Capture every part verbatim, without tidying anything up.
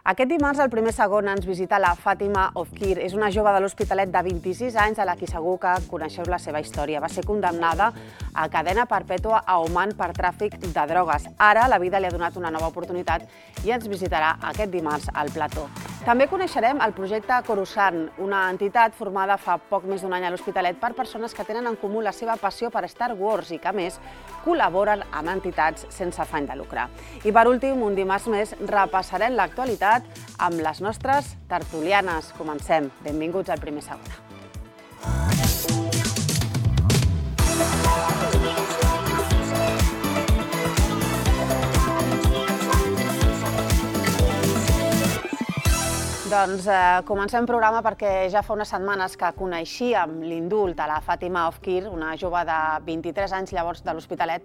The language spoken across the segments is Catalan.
Aquest dimarts, al primer segon, ens visita la Fàtima Ofquir. És una jove de l'Hospitalet de vint-i-sis anys a la qui segur que coneixeu la seva història. Va ser condemnada a cadena perpètua a Oman per tràfic de drogues. Ara la vida li ha donat una nova oportunitat i ens visitarà aquest dimarts al plató. També coneixerem el projecte Coruscant, una entitat formada fa poc més d'un any a l'Hospitalet per persones que tenen en comú la seva passió per Star Wars i que, a més, col·laboren amb entitats sense afany de lucre. I per últim, un dimarts més, repassarem l'actualitat amb les nostres tertulianes. Comencem. Benvinguts al primer segon. Doncs comencem programa perquè ja fa unes setmanes que coneixíem l'indult de la Fàtima Ofquir, una jove de vint-i-tres anys llavors de l'Hospitalet,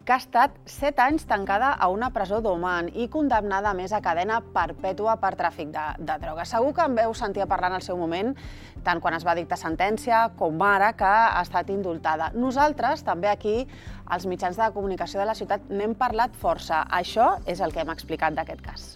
que ha estat set anys tancada a una presó d'Oman i condemnada a més a cadena perpètua per tràfic de, de drogues. Segur que en veu sentir parlar en el seu moment, tant quan es va dictar sentència com ara que ha estat indultada. Nosaltres, també aquí, als mitjans de comunicació de la ciutat, n'hem parlat força. Això és el que hem explicat d'aquest cas.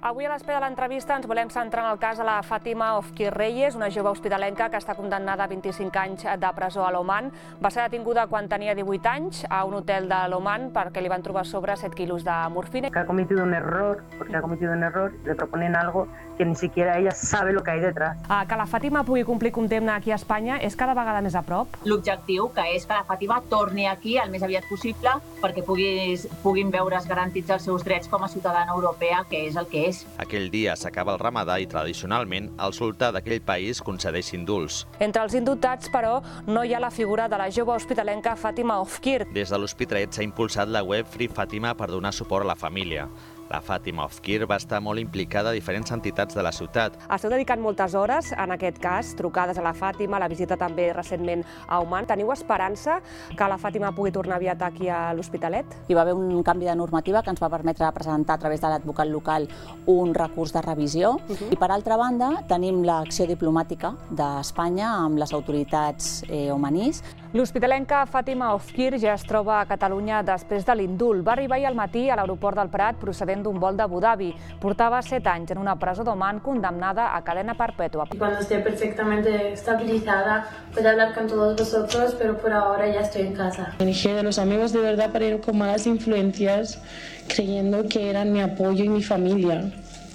Avui a l'espera de l'entrevista ens volem centrar en el cas de la Fàtima Ofquir Reyes, una jove hospitalenca que està condemnada a vint-i-cinc anys de presó a l'Oman. Va ser detinguda quan tenia divuit anys a un hotel de l'Oman perquè li van trobar sobre set quilos de morfina. Que ha cometido un error, porque ha cometido un error, le proponen algo que ni siquiera ella sabe lo que hay detrás. Que la Fàtima pugui complir condemna aquí a Espanya és cada vegada més a prop? L'objectiu, que és que la Fàtima torni aquí el més aviat possible perquè puguis, puguin veure's garantits els seus drets com a ciutadana europea, que és el que és. Aquell dia s'acaba el ramadà i, tradicionalment, el sultà d'aquell país concedeix indults. Entre els indultats, però, no hi ha la figura de la jove hospitalenca Fàtima Ofquir. Des de l'Hospitalet s'ha impulsat la web Free Fàtima per donar suport a la família. La Fàtima Ofquir va estar molt implicada a diferents entitats de la ciutat. Esteu dedicant moltes hores en aquest cas, trucades a la Fàtima, la visita també recentment a Oman. Teniu esperança que la Fàtima pugui tornar aviat aquí a l'Hospitalet? Hi va haver un canvi de normativa que ens va permetre presentar a través de l'advocat local un recurs de revisió. Uh-huh. I per altra banda tenim l'acció diplomàtica d'Espanya amb les autoritats eh, omanís. L'hospitalenca Fàtima Ofquir ja es troba a Catalunya després de l'indult. Va arribar ahir al matí a l'aeroport del Prat procedent d'un vol d'Abu Dhabi. Portava set anys en una presó d'Oman condemnada a cadena perpètua. Cuando esté perfectamente estabilizada, puedo hablar con todos vosotros, pero por ahora ya estoy en casa. Me alejé de los amigos de verdad para ir con malas influencias, creyendo que eran mi apoyo y mi familia,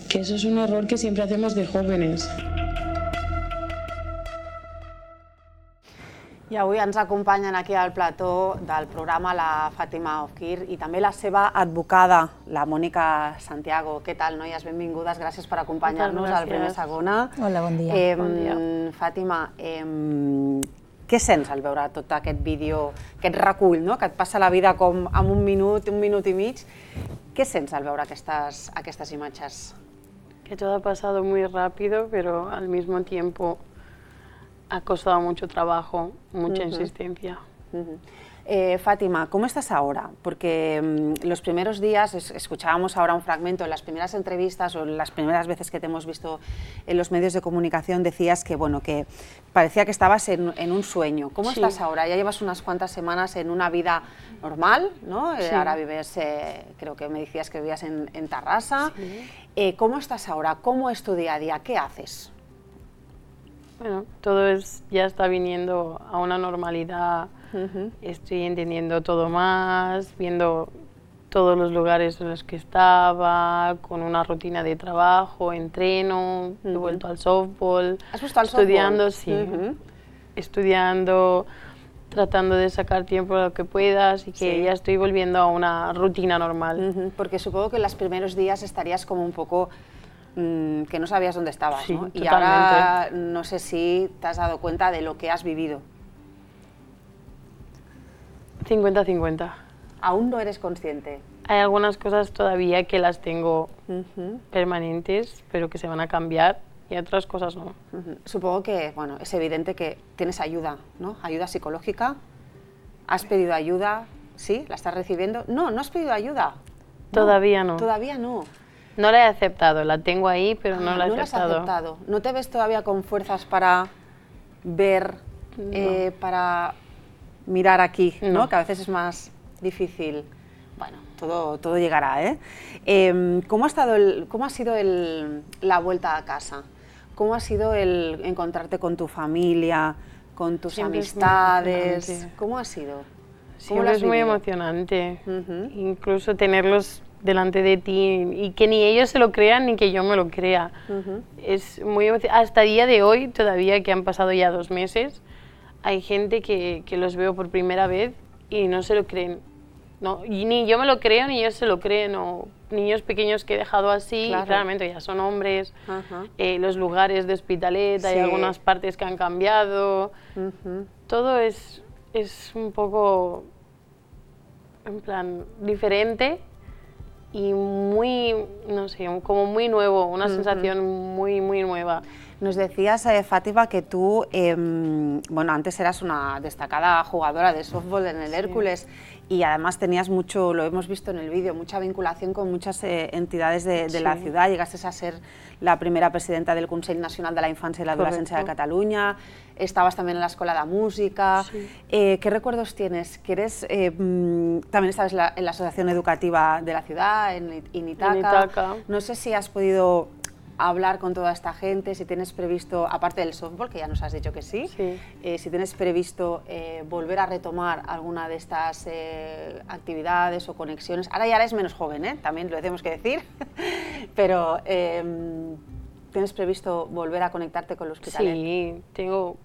que eso es un error que siempre hacemos de jóvenes. I avui ens acompanyen aquí al plató del programa la Fàtima Ofquir i també la seva advocada, la Mònica Santiago. Què tal, noies? Benvingudes, gràcies per acompanyar-nos al primer segona. Hola, bon dia. Eh, bon dia. Fàtima, eh, què sents al veure tot aquest vídeo, aquest recull, no? Que et passa la vida com en un minut, un minut i mig. Què sents al veure aquestes, aquestes imatges? Que todo ha pasado muy rápido, pero al mismo tiempo ha costado mucho trabajo, mucha uh-huh. insistencia. Uh-huh. eh, Fátima, ¿cómo estás ahora? Porque um, los primeros días, es, escuchábamos ahora un fragmento, en las primeras entrevistas o en las primeras veces que te hemos visto en los medios de comunicación, decías que, bueno, que parecía que estabas en, en un sueño. ¿Cómo sí. estás ahora? Ya llevas unas cuantas semanas en una vida normal, ¿no? Sí. Eh, ahora vives, eh, creo que me decías que vivías en, en Tarrasa. Sí. Eh, ¿Cómo estás ahora? ¿Cómo es tu día a día? ¿Qué haces? Bueno, todo es, ya está viniendo a una normalidad, uh-huh. Estoy entendiendo todo más, viendo todos los lugares en los que estaba, con una rutina de trabajo, entreno, uh-huh. he vuelto al softball. ¿Has vuelto al estudiando, softball? Sí, uh-huh. estudiando, tratando de sacar tiempo lo que puedas y que sí. ya estoy volviendo a una rutina normal. Uh-huh. Porque supongo que en los primeros días estarías como un poco que no sabías dónde estabas, sí, ¿no? Totalmente. Y ahora no sé si te has dado cuenta de lo que has vivido. cincuenta cincuenta. ¿Aún no eres consciente? Hay algunas cosas todavía que las tengo uh-huh. permanentes, pero que se van a cambiar, y otras cosas no. Uh-huh. Supongo que, bueno, es evidente que tienes ayuda, ¿no? Ayuda psicológica. ¿Has pedido ayuda? ¿Sí? ¿La estás recibiendo? No, no has pedido ayuda. Todavía no. no. Todavía no. No la he aceptado, la tengo ahí, pero ah, no la he no aceptado. No la has aceptado. ¿No te ves todavía con fuerzas para ver, no. eh, para mirar aquí, ¿no? ¿no? Que a veces es más difícil. Bueno, todo, todo llegará, ¿eh? Eh, ¿Cómo ha estado el, cómo ha sido el, la vuelta a casa? ¿Cómo ha sido el encontrarte con tu familia, con tus Siempre amistades? Es ¿Cómo ha sido? Siempre es muy emocionante, uh-huh. Incluso tenerlos delante de ti y que ni ellos se lo crean ni que yo me lo crea. Uh-huh. Es muy emocionante. Hasta el día de hoy, todavía que han pasado ya dos meses, hay gente que, que los veo por primera vez y no se lo creen. No, y ni yo me lo creo ni ellos se lo creen. O niños pequeños que he dejado así, claro. Claramente ya son hombres, uh-huh. eh, los lugares de Hospitalet, sí. Hay algunas partes que han cambiado. Uh-huh. Todo es, es un poco, en plan, diferente. Y muy, no sé, como muy nuevo, una uh-huh. sensación muy, muy nueva. Nos decías, eh, Fátima, que tú, eh, bueno, antes eras una destacada jugadora de softball en el sí. Hércules y además tenías mucho, lo hemos visto en el vídeo, mucha vinculación con muchas eh, entidades de, de sí. la ciudad. Llegaste a ser la primera presidenta del Consell Nacional de la Infancia y la Adolescencia de Cataluña, estabas también en la Escuela de Música. Sí. Eh, ¿Qué recuerdos tienes? Que eres, eh, también estabas en la, en la Asociación Educativa de la ciudad, en, en Itaca. En Itaca. No sé si has podido hablar con toda esta gente, si tienes previsto, aparte del softball, que ya nos has dicho que sí, sí. Eh, si tienes previsto eh, volver a retomar alguna de estas eh, actividades o conexiones. Ahora ya eres menos joven, ¿eh? También lo tenemos que decir, pero eh, ¿tienes previsto volver a conectarte con los Hospitalet? Sí, tengo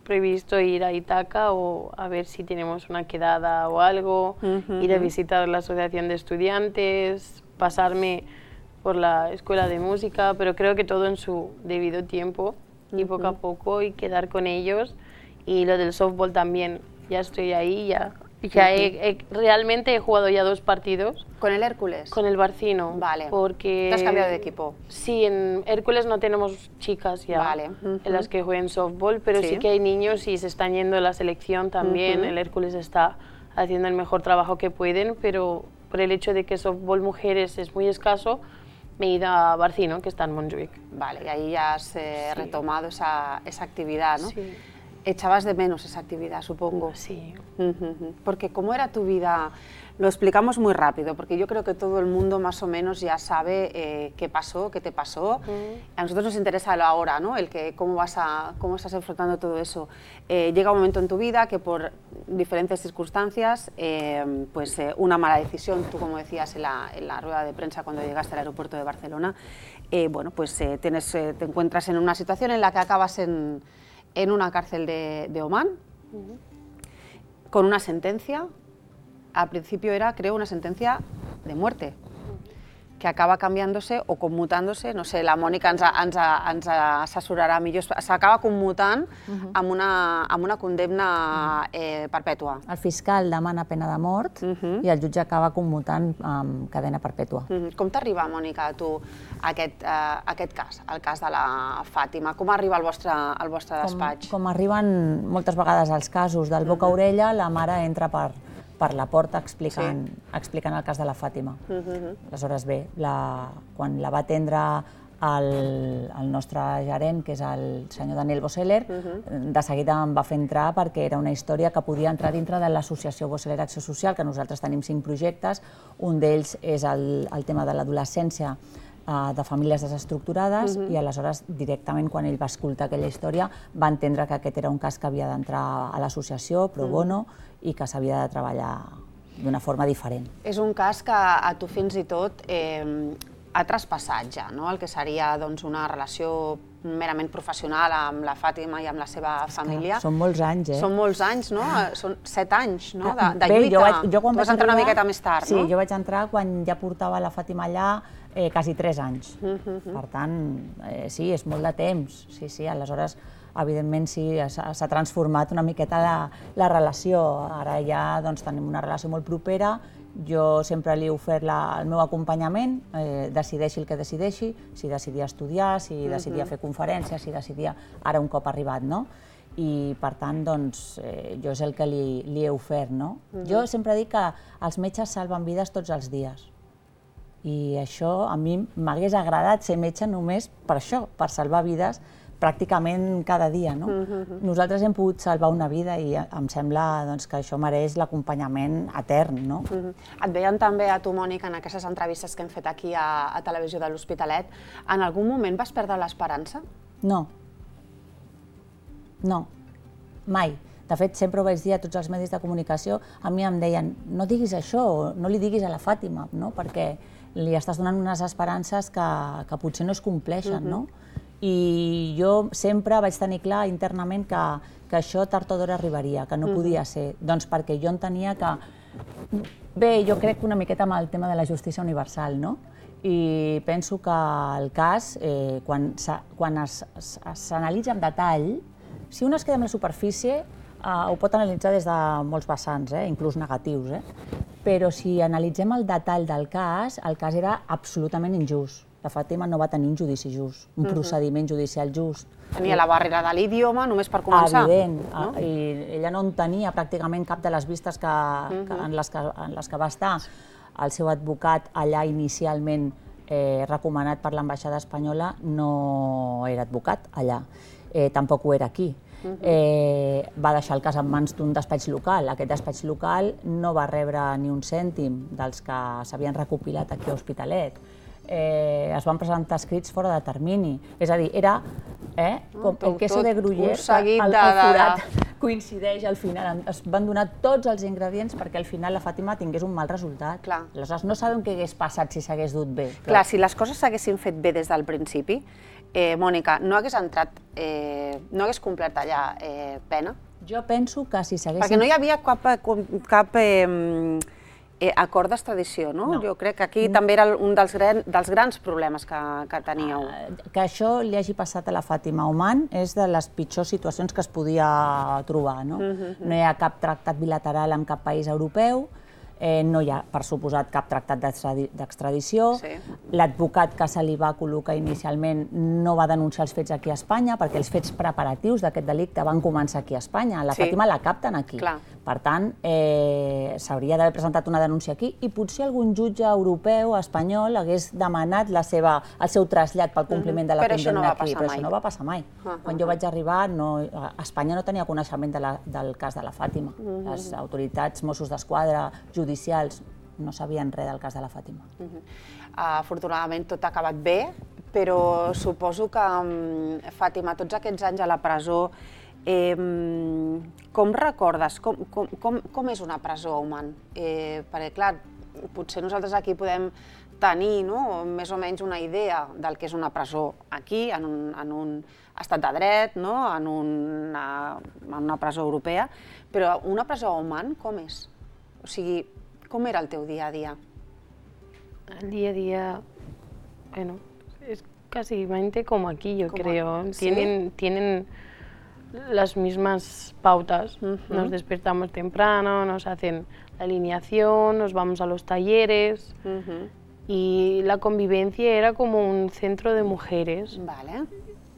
previsto ir a Itaca o a ver si tenemos una quedada o algo, uh-huh. ir a visitar la asociación de estudiantes, pasarme por la escuela de música, pero creo que todo en su debido tiempo y uh-huh. poco a poco y quedar con ellos. Y lo del softball también, ya estoy ahí, ya, ya uh-huh. he, he, realmente he jugado ya dos partidos. ¿Con el Hércules? Con el Barcino. Vale. Porque, ¿te has cambiado de equipo? Sí, en Hércules no tenemos chicas ya, vale. uh-huh. en las que jueguen softball, pero sí. sí que hay niños y se están yendo a la selección también. Uh-huh. El Hércules está haciendo el mejor trabajo que pueden, pero por el hecho de que softball mujeres es muy escaso, me he ido a Barcino, que está en Montjuïc. Vale, y ahí ya has eh, sí. retomado esa, esa actividad, ¿no? Sí. Echabas de menos esa actividad, supongo. Sí. Uh-huh. Porque ¿cómo era tu vida? Lo explicamos muy rápido, porque yo creo que todo el mundo más o menos ya sabe eh, qué pasó, qué te pasó. Uh-huh. A nosotros nos interesa lo ahora, ¿no? El que cómo vas a, cómo estás enfrentando todo eso. Eh, llega un momento en tu vida que por diferentes circunstancias, eh, pues eh, una mala decisión, tú como decías en la, en la rueda de prensa cuando llegaste al aeropuerto de Barcelona, eh, bueno, pues eh, tienes, eh, te encuentras en una situación en la que acabas en, en una cárcel de, de Omán, uh-huh. con una sentencia. Al principio era, creo, una sentencia de muerte, que acaba canviant-se o commutant-se, no sé, la Mònica ens, ens, ens assessorarà millor, s'acaba commutant uh-huh. amb, una, amb una condemna eh, perpètua. El fiscal demana pena de mort uh-huh. i el jutge acaba commutant amb cadena perpètua. Uh-huh. Com t'arriba, Mònica, a tu aquest, uh, aquest cas, el cas de la Fàtima? Com arriba al vostre, al vostre despatx? Com, com arriben moltes vegades els casos del boca a orella, la mare entra per per la porta explicant, sí. explicant el cas de la Fàtima. Uh-huh. Aleshores, bé, la, quan la va atendre el, el nostre gerent, que és el senyor Daniel Boseller, uh-huh. de seguida em va fer entrar perquè era una història que podia entrar dintre de l'associació Boseller Acció Social, que nosaltres tenim cinc projectes. Un d'ells és el, el tema de l'adolescència uh, de famílies desestructurades uh-huh. i aleshores directament quan ell va escoltar aquella història va entendre que aquest era un cas que havia d'entrar a l'associació pro bono uh-huh. i que s'havia de treballar d'una forma diferent. És un cas que a tu fins i tot eh, ha traspassat ja, no? El que seria doncs, una relació merament professional amb la Fàtima i amb la seva família. Són molts anys, eh? Són molts anys, no? Són set anys no? de, de Bé, lluita. Jo, vaig, jo quan tu vas entrar una miqueta més tard, sí, no? Sí, jo vaig entrar quan ja portava la Fàtima allà eh, quasi tres anys. Uh-huh. Per tant, eh, sí, és molt de temps. Sí, sí, aleshores evidentment sí, s'ha transformat una miqueta la, la relació. Ara ja doncs, tenim una relació molt propera, jo sempre li he ofert la, el meu acompanyament, eh, decideixi el que decideixi, si decidia estudiar, si decidia fer conferències, si decidia ara un cop arribat, no? I per tant, doncs, eh, jo és el que li, li he ofert, no? Uh-huh. Jo sempre dic que els metges salven vides tots els dies. I això a mi m'hagués agradat ser metge només per això, per salvar vides, pràcticament cada dia. Nosaltres hem pogut salvar una vida i em sembla que això mereix l'acompanyament etern. Et veien també a tu, Mònica, en aquestes entrevistes que hem fet aquí a Televisió de l'Hospitalet. En algun moment vas perdre l'esperança? No. No. Mai. De fet, sempre ho vaig dir a tots els medis de comunicació, a mi em deien, no diguis això, no li diguis a la Fàtima, perquè li estàs donant unes esperances que potser no es compleixen. I jo sempre vaig tenir clar internament que això tard o d'hora arribaria, que no podia ser, doncs perquè jo entenia que... Bé, jo crec una miqueta amb el tema de la justícia universal, no? I penso que el cas, quan s'analitza en detall, si un es queda amb la superfície, ho pot analitzar des de molts vessants, inclús negatius, però si analitzem el detall del cas, el cas era absolutament injust. La Fàtima no va tenir un judici just, un procediment judicial just. Tenia la barrera de l'idioma, només per començar. Evident, i ella no en tenia pràcticament cap de les vistes en les que va estar. El seu advocat allà inicialment recomanat per l'ambaixada espanyola no era advocat allà, tampoc ho era aquí. Va deixar el cas en mans d'un despatx local. Aquest despatx local no va rebre ni un cèntim dels que s'havien recopilat aquí a Hospitalet. Es van presentar escrits fora de termini. És a dir, era com el queso de Gruyère, el forat coincideix al final. Es van donar tots els ingredients perquè al final la Fàtima tingués un mal resultat. Aleshores, no sabem què hagués passat si s'hagués dut bé. Clar, si les coses s'haguessin fet bé des del principi, Mònica, no hagués entrat, no hagués complert allà pena? Jo penso que si s'haguessin... Perquè no hi havia cap acord d'extradició, no? Jo crec que aquí també era un dels grans problemes que teníeu. Que això li hagi passat a la Fàtima a Oman és de les pitjors situacions que es podia trobar. No hi ha cap tractat bilateral amb cap país europeu, no hi ha, per suposat, cap tractat d'extradició. L'advocat que se li va col·locar inicialment no va denunciar els fets aquí a Espanya perquè els fets preparatius d'aquest delicte van començar aquí a Espanya. La Fàtima la capten aquí. Per tant, s'hauria d'haver presentat una denúncia aquí i potser algun jutge europeu, espanyol, hagués demanat el seu trasllat pel compliment de la condemna aquí. Però això no va passar mai. Quan jo vaig arribar, Espanya no tenia coneixement del cas de la Fàtima. Les autoritats, Mossos d'Esquadra, judicials, no sabien res del cas de la Fàtima. Afortunadament tot ha acabat bé, però suposo que, Fàtima, tots aquests anys a la presó, com recordes, com és una presó a Oman? Perquè, clar, potser nosaltres aquí podem tenir més o menys una idea del que és una presó aquí, en un estat de dret, en una presó europea, però una presó a Oman com és? O sigui, com era el teu dia a dia? El día a día, bueno, es casi como aquí, yo creo. Tienen, tienen las mismas pautas. Nos despertamos temprano, nos hacen la alineación, nos vamos a los talleres y la convivencia era como un centro de mujeres. Vale.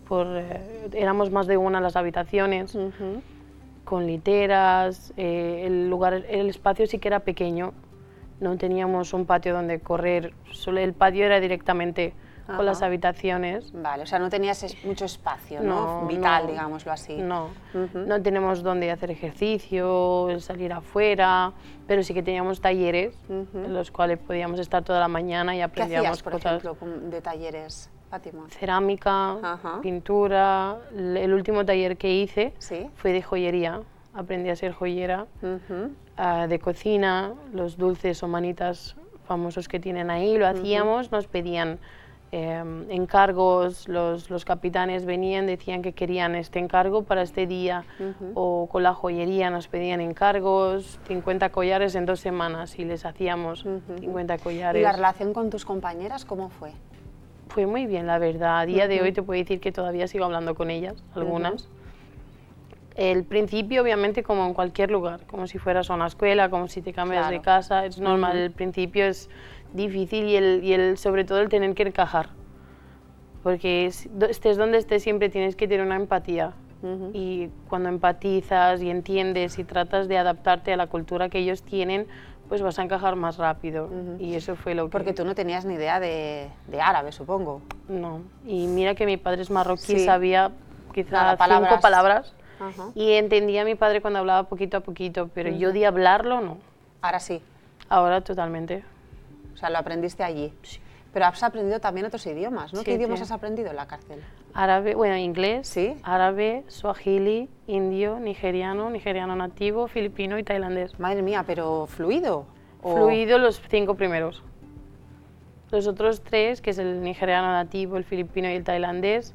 Por, eh, éramos más de una en las habitaciones. Con literas, eh, el lugar, el espacio sí que era pequeño, no teníamos un patio donde correr, solo el patio era directamente Ajá. con las habitaciones. Vale, o sea, no tenías mucho espacio, ¿no? no Vital, no, digámoslo así. No, uh-huh. no tenemos donde hacer ejercicio, salir afuera, pero sí que teníamos talleres uh-huh. en los cuales podíamos estar toda la mañana y aprendíamos ¿Qué hacías, por cosas. ejemplo, de talleres? Fátima. Cerámica, Ajá. pintura. El último taller que hice ¿Sí? fue de joyería. Aprendí a ser joyera, uh-huh. uh, de cocina, los dulces o manitas famosos que tienen ahí, lo hacíamos, uh-huh. nos pedían eh, encargos, los, los capitanes venían, decían que querían este encargo para este día, uh-huh. o con la joyería nos pedían encargos, cincuenta collares en dos semanas y les hacíamos uh-huh. cincuenta collares. ¿Y la relación con tus compañeras cómo fue? Fue muy bien, la verdad. A día uh-huh. de hoy te puedo decir que todavía sigo hablando con ellas, algunas. Uh-huh. El principio, obviamente, como en cualquier lugar, como si fueras a una escuela, como si te cambias claro. de casa, es normal. Uh-huh. El principio es difícil y, el, y el, sobre todo el tener que encajar. Porque estés donde estés, siempre tienes que tener una empatía. Uh-huh. Y cuando empatizas y entiendes y tratas de adaptarte a la cultura que ellos tienen, pues vas a encajar más rápido. Uh-huh. Y eso fue lo que... Porque tú no tenías ni idea de, de árabe, supongo. No. Y mira que mi padre es marroquí, sí. sabía quizás cinco palabras. Uh-huh. Y entendía a mi padre cuando hablaba poquito a poquito, pero uh-huh. yo de hablarlo no. Ahora sí. Ahora totalmente. O sea, lo aprendiste allí. Sí. Pero has aprendido también otros idiomas, ¿no? Sí, ¿Qué idiomas sí. has aprendido en la cárcel? Árabe, bueno, inglés, ¿Sí? árabe, suajili, indio, nigeriano, nigeriano nativo, filipino y tailandés. Madre mía, pero ¿fluido? ¿O? Fluido los cinco primeros. Los otros tres, que es el nigeriano nativo, el filipino y el tailandés,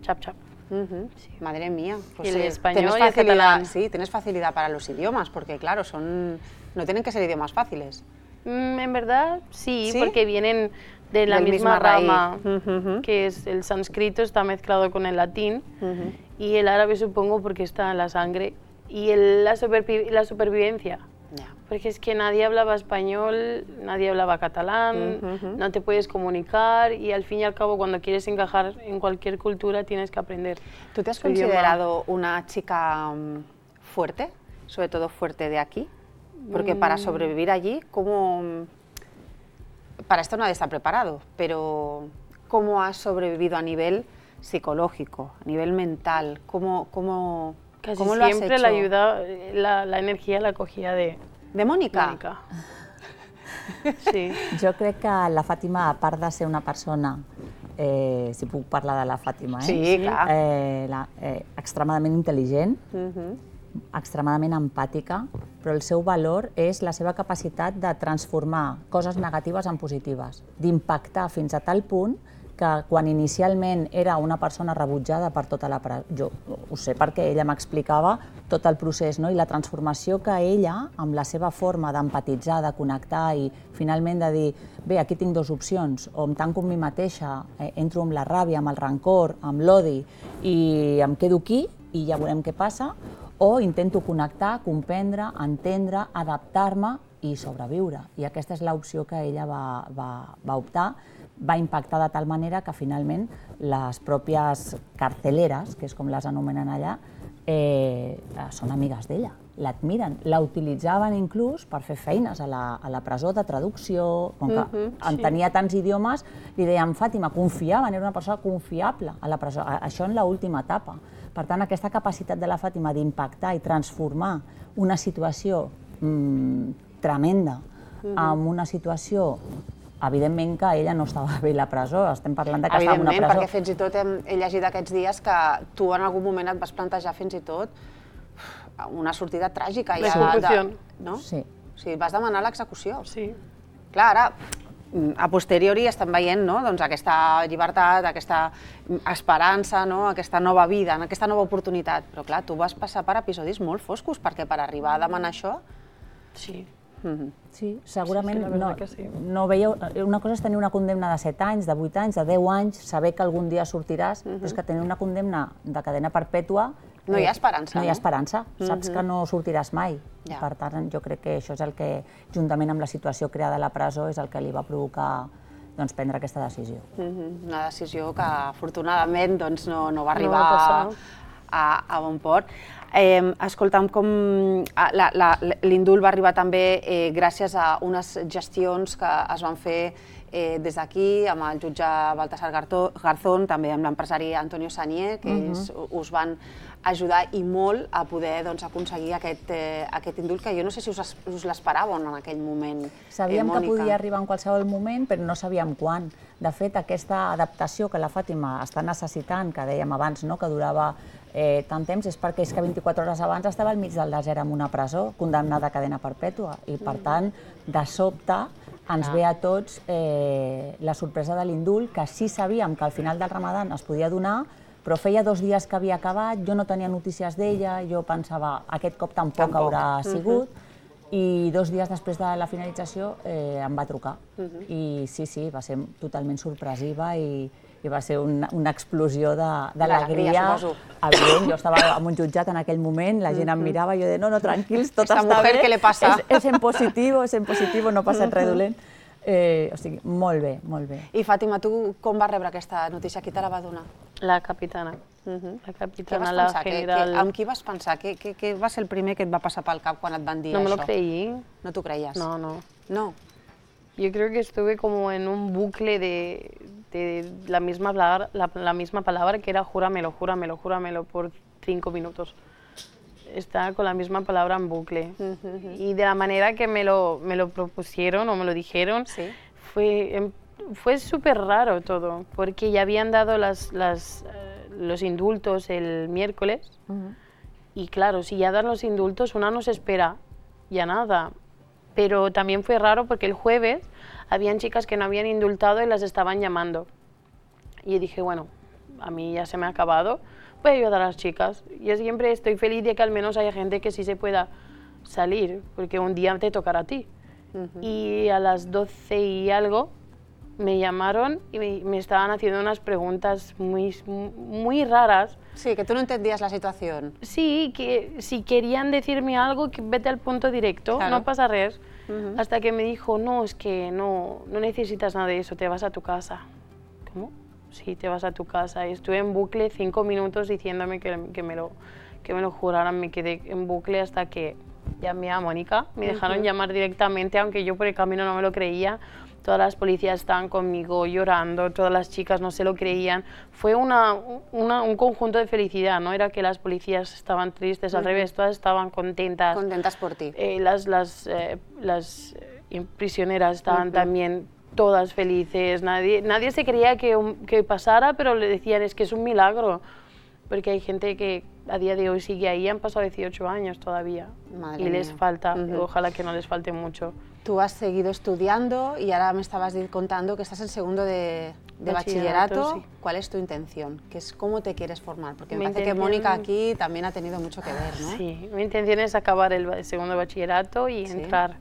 chap chap. Uh-huh. Sí. Madre mía. Pues y el sí, español ¿tienes y el catalán. Sí, tienes facilidad para los idiomas, porque claro, son no tienen que ser idiomas fáciles. Mm, en verdad, sí, sí, porque vienen de la Del misma, misma rama, uh-huh. que es el sánscrito, está mezclado con el latín, uh-huh. y el árabe supongo porque está en la sangre, y el, la, supervi la supervivencia. Yeah. Porque es que nadie hablaba español, nadie hablaba catalán, uh-huh. no te puedes comunicar y al fin y al cabo cuando quieres encajar en cualquier cultura tienes que aprender. ¿Tú te has considerado una chica um, fuerte, sobre todo fuerte de aquí? Porque mm. para sobrevivir allí, ¿cómo...? Para esto nadie está preparado, pero ¿cómo has sobrevivido a nivel psicológico, a nivel mental? ¿Cómo, cómo, Casi cómo lo has siempre hecho? la ayuda, la, la energia la cogía de... ¿De Mónica? Mónica. Sí. Jo crec que la Fàtima, a part de ser una persona, eh, si puc parlar de la Fàtima, eh? Sí, clar. Eh, la, eh, extremadament intel·ligent, Uh-huh. extremadament empàtica, però el seu valor és la seva capacitat de transformar coses negatives en positives, d'impactar fins a tal punt que quan inicialment era una persona rebutjada per tota la... Jo ho sé perquè ella m'explicava tot el procés, no? I la transformació que ella, amb la seva forma d'empatitzar, de connectar i finalment de dir bé, aquí tinc dues opcions, o em tanco amb mi mateixa, eh, entro amb la ràbia, amb el rancor, amb l'odi i em quedo aquí i ja veurem què passa, o intento connectar, comprendre, entendre, adaptar-me i sobreviure. I aquesta és l'opció que ella va, va, va optar. Va impactar de tal manera que finalment les pròpies carceleres, que és com les anomenen allà, eh, són amigues d'ella, l'admiren. La utilitzaven inclús per fer feines a la, a la presó de traducció, com que uh-huh, entenia sí. tants idiomes, li deien Fàtima, confiaven, era una persona confiable a la presó, això en l'última etapa. Per tant, aquesta capacitat de la Fàtima d'impactar i transformar una situació mmm, tremenda uh-huh. en una situació, evidentment que ella no estava bé a la presó, estem parlant de que estava en una presó. Evidentment, perquè fins i tot hem, he llegit aquests dies que tu en algun moment et vas plantejar fins i tot una sortida tràgica. L'execució. No? Sí. O sigui, vas demanar l'execució. Sí. Clar, ara, a posteriori estem veient no? doncs aquesta llibertat, aquesta esperança, no? aquesta nova vida, aquesta nova oportunitat. Però clar, tu vas passar per episodis molt foscos, perquè per arribar a demanar això... Sí. Mm-hmm. Sí, segurament sí, sí, no, que sí. no veieu... Una cosa és tenir una condemna de set anys, de vuit anys, de deu anys, saber que algun dia sortiràs, mm-hmm. però és que tenir una condemna de cadena perpètua... No hi ha esperança, no? No hi ha no? esperança, mm-hmm. saps que no sortiràs mai. Ja. Per tant, jo crec que això és el que, juntament amb la situació creada a la presó, és el que li va provocar doncs, prendre aquesta decisió. Mm-hmm. Una decisió que, afortunadament, doncs, no, no va arribar no va a, a, a bon port. Eh, escolta'm, com l'indult va arribar també eh, gràcies a unes gestions que es van fer eh, des d'aquí, amb el jutge Baltasar Garzón, també amb l'empresari Antonio Sanier, que uh-huh. és, us van ajudar i molt a poder doncs, aconseguir aquest, eh, aquest indult, que jo no sé si us, us l'esperàveu en aquell moment. Sabíem eh, que podia arribar en qualsevol moment, però no sabíem quan. De fet, aquesta adaptació que la Fàtima està necessitant, que dèiem abans no, que durava eh, tant temps, és perquè és que vint-i-quatre hores abans estava al mig del desert en una presó, condemnada a cadena perpètua, i per tant, de sobte, ens ve a tots eh, la sorpresa de l'indult, que sí sabíem que al final del Ramadan es podia donar, però feia dos dies que havia acabat, jo no tenia notícies d'ella, jo pensava, aquest cop tampoc, tampoc. haurà sigut, uh-huh. i dos dies després de la finalització eh, em va trucar. Uh-huh. I sí, sí, va ser totalment sorpresiva i, i va ser una, una explosió d'alegria. Evident, jo estava en un jutjat en aquell moment, la gent em mirava i jo deia, no, no, tranquils, tot Esta està mujer, bé, ¿qué le pasa? és, és en positivo, és en positivo, no passa res dolent. Eh, o sigui, molt bé, molt bé. I Fàtima, tu com vas rebre aquesta notícia? Qui te la va donar? La capitana. Uh-huh. La capitana, la general. ¿Qué, qué, ¿Amb qui vas pensar? Què, què, què va ser el primer que et va passar pel cap quan et van dir no això? No me lo creí. ¿No t'ho creies? No, no. No? Yo creo que estuve como en un bucle de, repite la misma palabra, la, la misma palabra que era júramelo, júramelo, júramelo por cinco minutos. Está con la misma palabra en bucle. Uh-huh. Y de la manera que me lo, me lo propusieron o me lo dijeron, ¿sí? fue, fue súper raro todo, porque ya habían dado las, las, uh, los indultos el miércoles. Uh-huh. Y claro, si ya dan los indultos, una no se espera ya nada. Pero también fue raro porque el jueves habían chicas que no habían indultado y las estaban llamando. Y dije, bueno, a mí ya se me ha acabado, voy a ayudar a las chicas. Yo siempre estoy feliz de que al menos haya gente que sí se pueda salir, porque un día te tocará a ti. Uh-huh. Y a las doce y algo me llamaron y me, me estaban haciendo unas preguntas muy, muy raras. Sí, que tú no entendías la situación. Sí, que si querían decirme algo, que vete al punto directo, claro. No pasa res. Uh-huh. Hasta que me dijo, no, es que no, no necesitas nada de eso, te vas a tu casa. ¿Cómo? Sí, te vas a tu casa. Y estuve en bucle cinco minutos diciéndome que, que, me lo, que me lo juraran. Me quedé en bucle hasta que llamé a Mónica. Me dejaron uh-huh. llamar directamente, aunque yo por el camino no me lo creía. Todas las policías estaban conmigo llorando, todas las chicas no se lo creían. Fue una, una, un conjunto de felicidad, no era que las policías estaban tristes, uh-huh. al revés, todas estaban contentas. Contentas por ti. Eh, las las, eh, las eh, prisioneras estaban uh-huh. también todas felices, nadie, nadie se creía que, que pasara, pero le decían es que es un milagro, porque hay gente que a día de hoy sigue ahí, han pasado dieciocho años todavía. Madre y mía. Les falta, uh-huh. ojalá que no les falte mucho. Tú has seguido estudiando y ahora me estabas contando que estás en segundo de, de bachillerato. bachillerato. Sí. ¿Cuál es tu intención? ¿Qué es, ¿Cómo te quieres formar? Porque me mi parece intención... que Mónica aquí también ha tenido mucho que ver, ¿no? Sí, mi intención es acabar el segundo bachillerato y ¿sí? entrar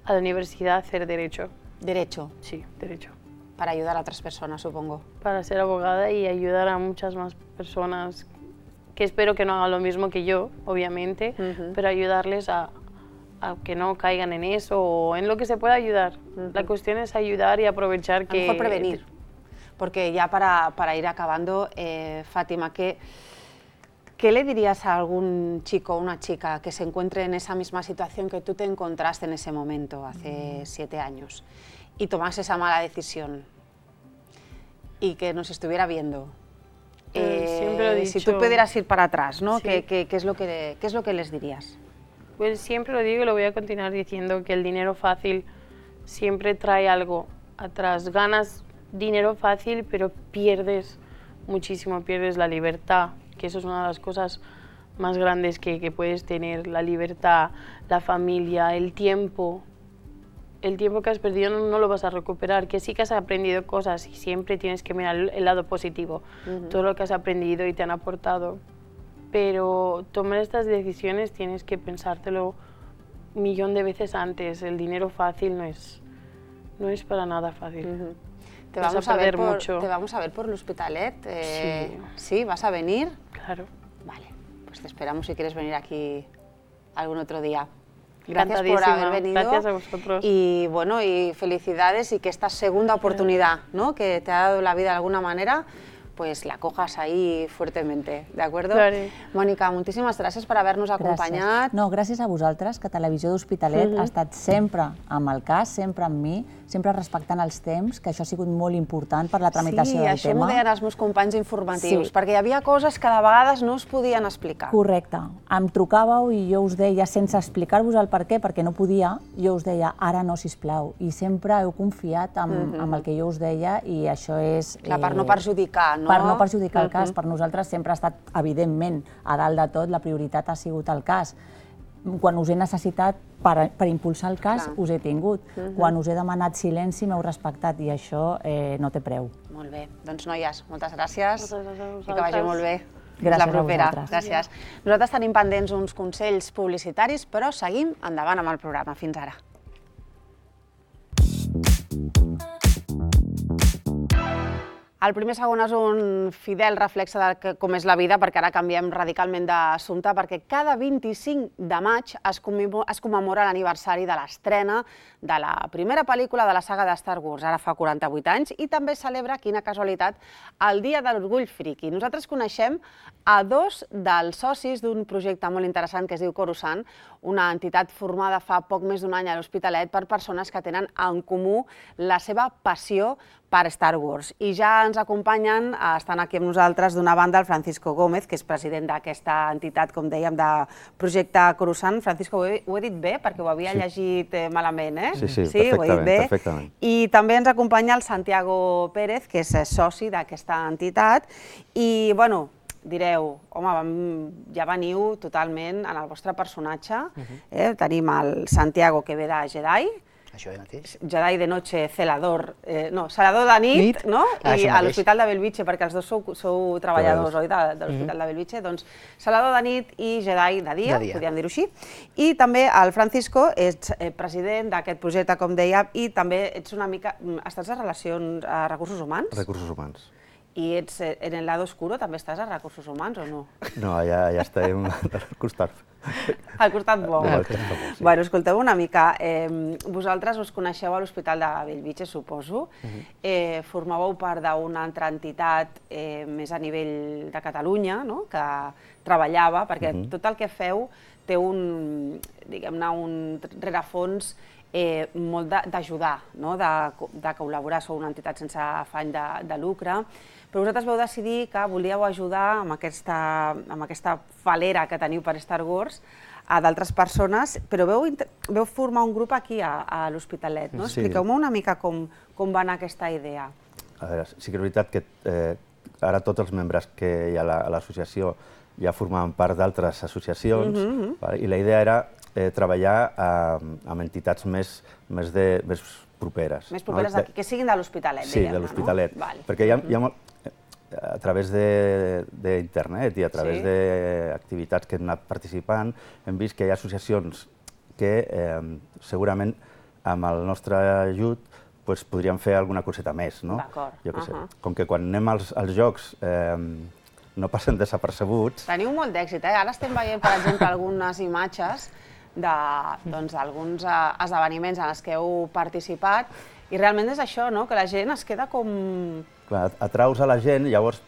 a la universidad a hacer Derecho. ¿Derecho? Sí, Derecho. Para ayudar a otras personas, supongo. Para ser abogada y ayudar a muchas más personas que espero que no hagan lo mismo que yo, obviamente, uh-huh. pero ayudarles a... a que no caigan en eso o en lo que se pueda ayudar. Uh-huh. La cuestión es ayudar y aprovechar que... A lo mejor prevenir, porque ya para, para ir acabando, eh, Fátima, ¿qué, ¿qué le dirías a algún chico o una chica que se encuentre en esa misma situación que tú te encontraste en ese momento, hace uh-huh. siete años, y tomase esa mala decisión y que nos estuviera viendo? Eh, Siempre lo he dicho. Si tú pudieras ir para atrás, ¿no? Sí. ¿Qué, qué, qué, es lo que, ¿Qué es lo que les dirías? Pues siempre lo digo y lo voy a continuar diciendo, que el dinero fácil siempre trae algo atrás. Ganas dinero fácil, pero pierdes muchísimo, pierdes la libertad, que eso es una de las cosas más grandes que, que puedes tener, la libertad, la familia, el tiempo. El tiempo que has perdido no, no lo vas a recuperar, que sí que has aprendido cosas y siempre tienes que mirar el, el lado positivo, uh-huh. todo lo que has aprendido y te han aportado. Pero tomar estas decisiones tienes que pensártelo un millón de veces antes. El dinero fácil no es, no es para nada fácil. Uh-huh. Te, vamos a, a ver por, mucho. Te vamos a ver por l'Hospitalet. Eh, sí. ¿Sí? ¿Vas a venir? Claro. Vale, pues te esperamos si quieres venir aquí algún otro día. Gracias por haber venido. Gracias a vosotros. Y bueno, y felicidades y que esta segunda oportunidad, ¿no? que te ha dado la vida de alguna manera, pues la cojas ahí fuertemente, ¿de acuerdo? Claro. Mònica, moltíssimes gràcies per haver-nos acompanyat. Gràcies. No, gràcies a vosaltres, que Televisió d'Hospitalet uh-huh. ha estat sempre amb el cas, sempre amb mi, sempre respectant els temps, que això ha sigut molt important per la tramitació sí, del tema. Sí, això m'ho deien els meus companys informatius, sí. perquè hi havia coses que de vegades no es podien explicar. Correcte. Em trucàveu i jo us deia, sense explicar-vos el per què, perquè no podia, jo us deia, ara no, sisplau. I sempre heu confiat en, uh-huh. en el que jo us deia i això és... Clar, per no perjudicar, no? Per no perjudicar el cas. Uh-huh. Per nosaltres sempre ha estat, evidentment, a dalt de tot, la prioritat ha sigut el cas. Quan us he necessitat per, per impulsar el cas, clar. Us he tingut. Uh-huh. Quan us he demanat silenci, m'heu respectat i això eh, no té preu. Molt bé. Doncs, noies, moltes gràcies. Moltes gràcies i que vagi molt bé. Gràcies la propera. a vosaltres. Gràcies. Nosaltres tenim pendents uns consells publicitaris, però seguim endavant amb el programa. Fins ara. El primer segon és un fidel reflexe de com és la vida, perquè ara canviem radicalment d'assumpte, perquè cada vint-i-cinc de maig es commemora l'aniversari de l'estrena de la primera pel·lícula de la saga de Star Wars, ara fa quaranta-vuit anys, i també celebra, quina casualitat, el Dia de l'Orgull Friki. Nosaltres coneixem a dos dels socis d'un projecte molt interessant que es diu Coruscant, una entitat formada fa poc més d'un any a l'Hospitalet per persones que tenen en comú la seva passió per Star Wars. I ja ens acompanyen, estan aquí amb nosaltres, d'una banda, el Francisco Gómez, que és president d'aquesta entitat, com dèiem, de projecte Coruscant. Francisco, ho he, ho he dit bé? Perquè ho havia sí. llegit eh, malament, eh? Sí, sí, sí perfectament, ho he dit bé. perfectament. I també ens acompanya el Santiago Pérez, que és soci d'aquesta entitat. I, bueno, direu, home, ja veniu totalment en el vostre personatge. eh? Tenim el Santiago, que ve de Jedi, Això mateix. Jedi de noche, celador, eh, no, celador de nit, nit? no? Ah, I a l'Hospital de Bellvitge, perquè els dos sou, sou treballadors, oi, de, de l'Hospital mm-hmm. de Bellvitge, doncs celador de nit i Jedi de dia, de dia. podríem dir-ho així. I també el Francisco, ets eh, president d'aquest projecte, com deia, i també ets una mica, estàs a relacions, a recursos humans? Recursos humans. I ets eh, en el lado oscuro, també estàs a recursos humans o no? No, ja, ja estem al costat. Al costat bo. Al costat bo, sí. Bueno, escolteu una mica, eh, vosaltres us coneixeu a l'Hospital de Bellvitge, suposo, uh-huh. eh, formàveu part d'una altra entitat eh, més a nivell de Catalunya, no? que treballava, perquè uh-huh. tot el que feu té un, diguem-ne, un rerefons eh, molt d'ajudar, no? de, de col·laborar, sou una entitat sense afany de, de lucre, però vosaltres vau decidir que volíeu ajudar amb aquesta, amb aquesta falera que teniu per Star Wars a d'altres persones, però veu, veu formar un grup aquí a, a l'Hospitalet, no? Sí. Expliqueu-me una mica com, com va anar aquesta idea. A veure, sí que és veritat que eh, ara tots els membres que hi ha a l'associació ja formaven part d'altres associacions, mm-hmm. vale? I la idea era eh, treballar eh, amb entitats més, més, de, més properes. Més properes, no? de, que siguin de l'Hospitalet, sí, de l'Hospitalet, no? Vale. Perquè hi ha, hi ha molt, a través d'internet i a través sí. d'activitats que hem anat participant, hem vist que hi ha associacions que eh, segurament amb el nostre ajut pues, podríem fer alguna coseta més. No? D'acord. Jo què sé. Uh-huh. Com que quan anem als, als jocs eh, no passen desapercebuts. Teniu molt d'èxit, eh? Ara estem veient, per exemple, algunes imatges d'alguns doncs, esdeveniments en els que heu participat i realment és això, no? Que la gent es queda com... Clar, atraus a la gent, llavors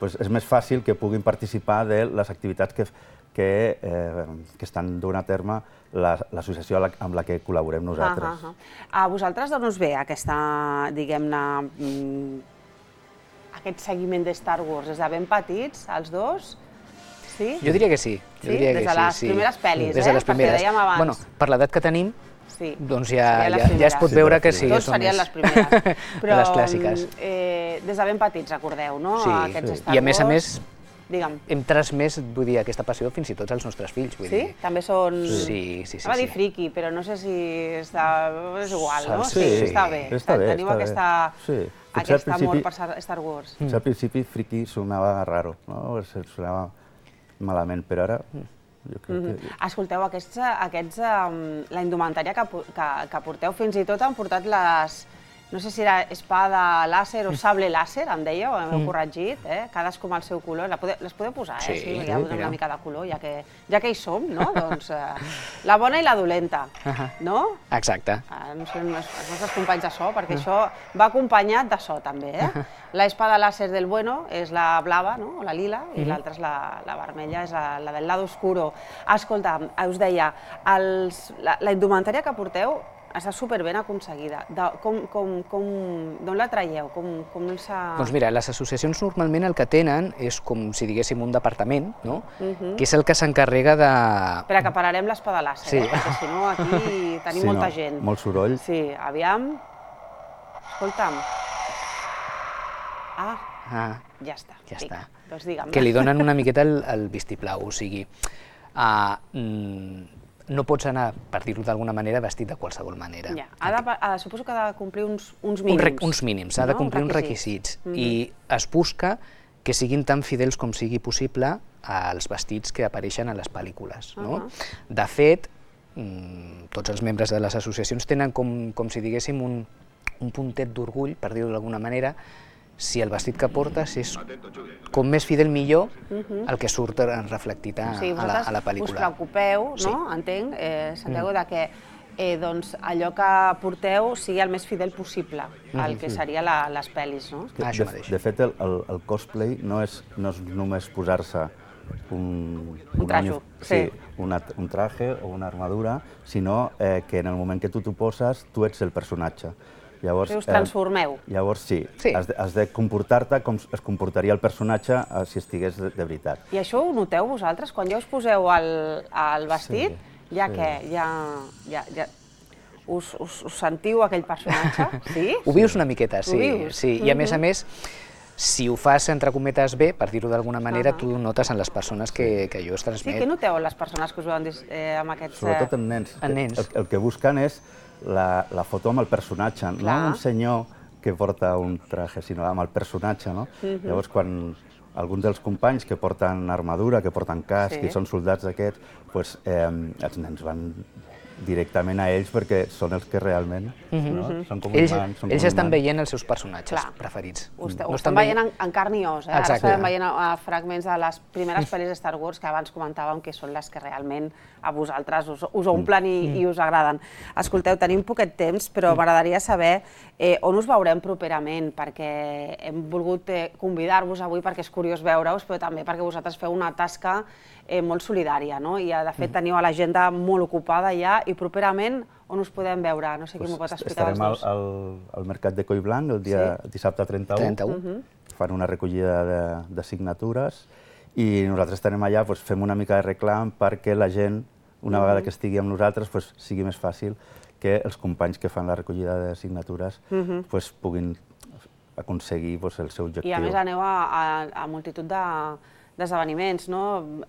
pues, és més fàcil que puguin participar de les activitats que, que, eh, que estan duent a terme l'associació amb la que col·laborem nosaltres. Uh -huh. A vosaltres d'on us ve aquesta, diguem-ne, aquest seguiment de Star Wars? Des de ben petits, els dos? Sí? Jo diria que sí. Jo sí? diria Des que de les sí, primeres sí. pel·lis, Des de les eh? primeres. Perquè dèiem abans. Bueno, per l'edat que tenim, sí. doncs ja, ja, ja es pot veure que sí. Tots serien les primeres. Però, les clàssiques. Eh, des de ben petits, recordeu, no? Sí, Aquests sí. Star I a més a Wars. més, Digue'm. hem transmès, vull dir, aquesta passió fins i tot als nostres fills. Vull sí? dir. També són... Sí, sí, sí. Anava a dir sí. friki, però no sé si està... és igual, no? Sí, sí, està bé. Està bé, Teniu està aquesta, bé. Sí. aquest amor per Star Wars. Potser al principi friki sonava raro, no? Sonava malament, però ara... Jo crec mm-hmm. que... Escolteu, aquests, aquests, um, la indumentària que, que, que porteu, fins i tot han portat les... No sé si era espada làser o sable làser, em dèieu, m'heu mm. corregit, eh? Cadascú amb el seu color. La pode, les podeu posar, eh? Sí, sí ja una mica de color, ja que, ja que hi som, no? Doncs eh, la bona i la dolenta, uh -huh. no? Exacte. Ah, no sé, els nostres companys de so, perquè uh -huh. això va acompanyat de so, també, eh? Uh -huh. La espada làser del bueno és la blava, no? O la lila, i uh -huh. l'altra és la, la vermella, és la, la del lado oscuro. Escolta, us deia, els, la, la indumentària que porteu està superben aconseguida. D'on la traieu? Com, com s'ha... Doncs mira, les associacions normalment el que tenen és com si diguéssim un departament, no? Uh-huh. Que és el que s'encarrega de... Espera, que pararem l'espada làser, sí. eh? Perquè si no aquí tenim sí, molta no, gent. Molt soroll. Sí, aviam... Escolta'm. Ah, ah ja està. Ja Vinga, està. Doncs digue'm. Que li donen una miqueta el, el vistiplau, o sigui... Uh, mm, no pots anar, per dir-ho d'alguna manera, vestit de qualsevol manera. Ja. Ha de, ha, suposo que ha de complir uns, uns mínims. Un rec, uns mínims, ha de complir no? uns requisits. Mm -hmm. I es busca que siguin tan fidels com sigui possible als vestits que apareixen a les pel·lícules. No? Uh -huh. De fet, tots els membres de les associacions tenen com, com si diguéssim un, un puntet d'orgull, per dir-ho d'alguna manera, si el vestit que portes és com més fidel millor el que surt reflectit a, O sigui, a, la, a la vosaltres us pel·lícula. preocupeu, Sí. no? Entenc, eh, Santiago, de que eh, doncs, allò que porteu sigui el més fidel possible al que seria la, les pel·lis, no? Ah, això De, mateix. de fet, el, el, el cosplay no és, no és només posar-se un, Un trajo, uni- sí. sí, una, un traje o una armadura, sinó eh, que en el moment que tu t'ho poses, tu ets el personatge. Llavors, Si us transformeu. Eh, llavors sí, Sí. has de, has de comportar-te com es comportaria el personatge eh, si estigués de, de veritat. I això ho noteu vosaltres? Quan ja us poseu el, el vestit, Sí, ja sí. què? Ja, ja, ja... Us, us, us sentiu aquell personatge? Sí? Ho vius una miqueta, sí. Ho vius? sí. I a més a més, si ho fas entre cometes bé, per dir-ho d'alguna manera, tu notes en les persones que, que allò es Sí, transmet. què noteu en les persones que us veuen eh, amb aquests... Sobretot en nens. En nens. El, el que busquen és la, la foto amb el personatge, no Clar. amb un senyor que porta un traje, sinó amb el personatge, no? Llavors, quan alguns dels companys que porten armadura, que porten casc, Sí. i són soldats d'aquests, doncs, eh, els nens van directament a ells perquè són els que realment no? són com Ells, humans. Són ells com estan humans. veient els seus personatges Clar. preferits. Ho, est No ho estan estan veient en, en carn i os, eh? Ara Exacte. estem veient a, a fragments de les primeres pel·lis de Star Wars que abans comentàvem que són les que realment a vosaltres us, us omplen i, i us agraden. Escolteu, tenim poquet temps, però m'agradaria saber eh, on us veurem properament, perquè hem volgut eh, convidar-vos avui perquè és curiós veure-us, però també perquè vosaltres feu una tasca eh, molt solidària, no? I de fet teniu a l'agenda molt ocupada ja, i properament on us podem veure? No sé qui m'ho pot explicar dels Estarem al, dos. al, al Mercat de Collblanc el dia Sí. dissabte trenta-u. trenta-u. Fan una recollida de, de signatures i nosaltres estarem allà, doncs, fem una mica de reclam perquè la gent, una vegada que estigui amb nosaltres, doncs, sigui més fàcil que els companys que fan la recollida de signatures doncs, puguin aconseguir doncs, el seu objectiu. I a més aneu a, a, a multitud de d'esdeveniments, no?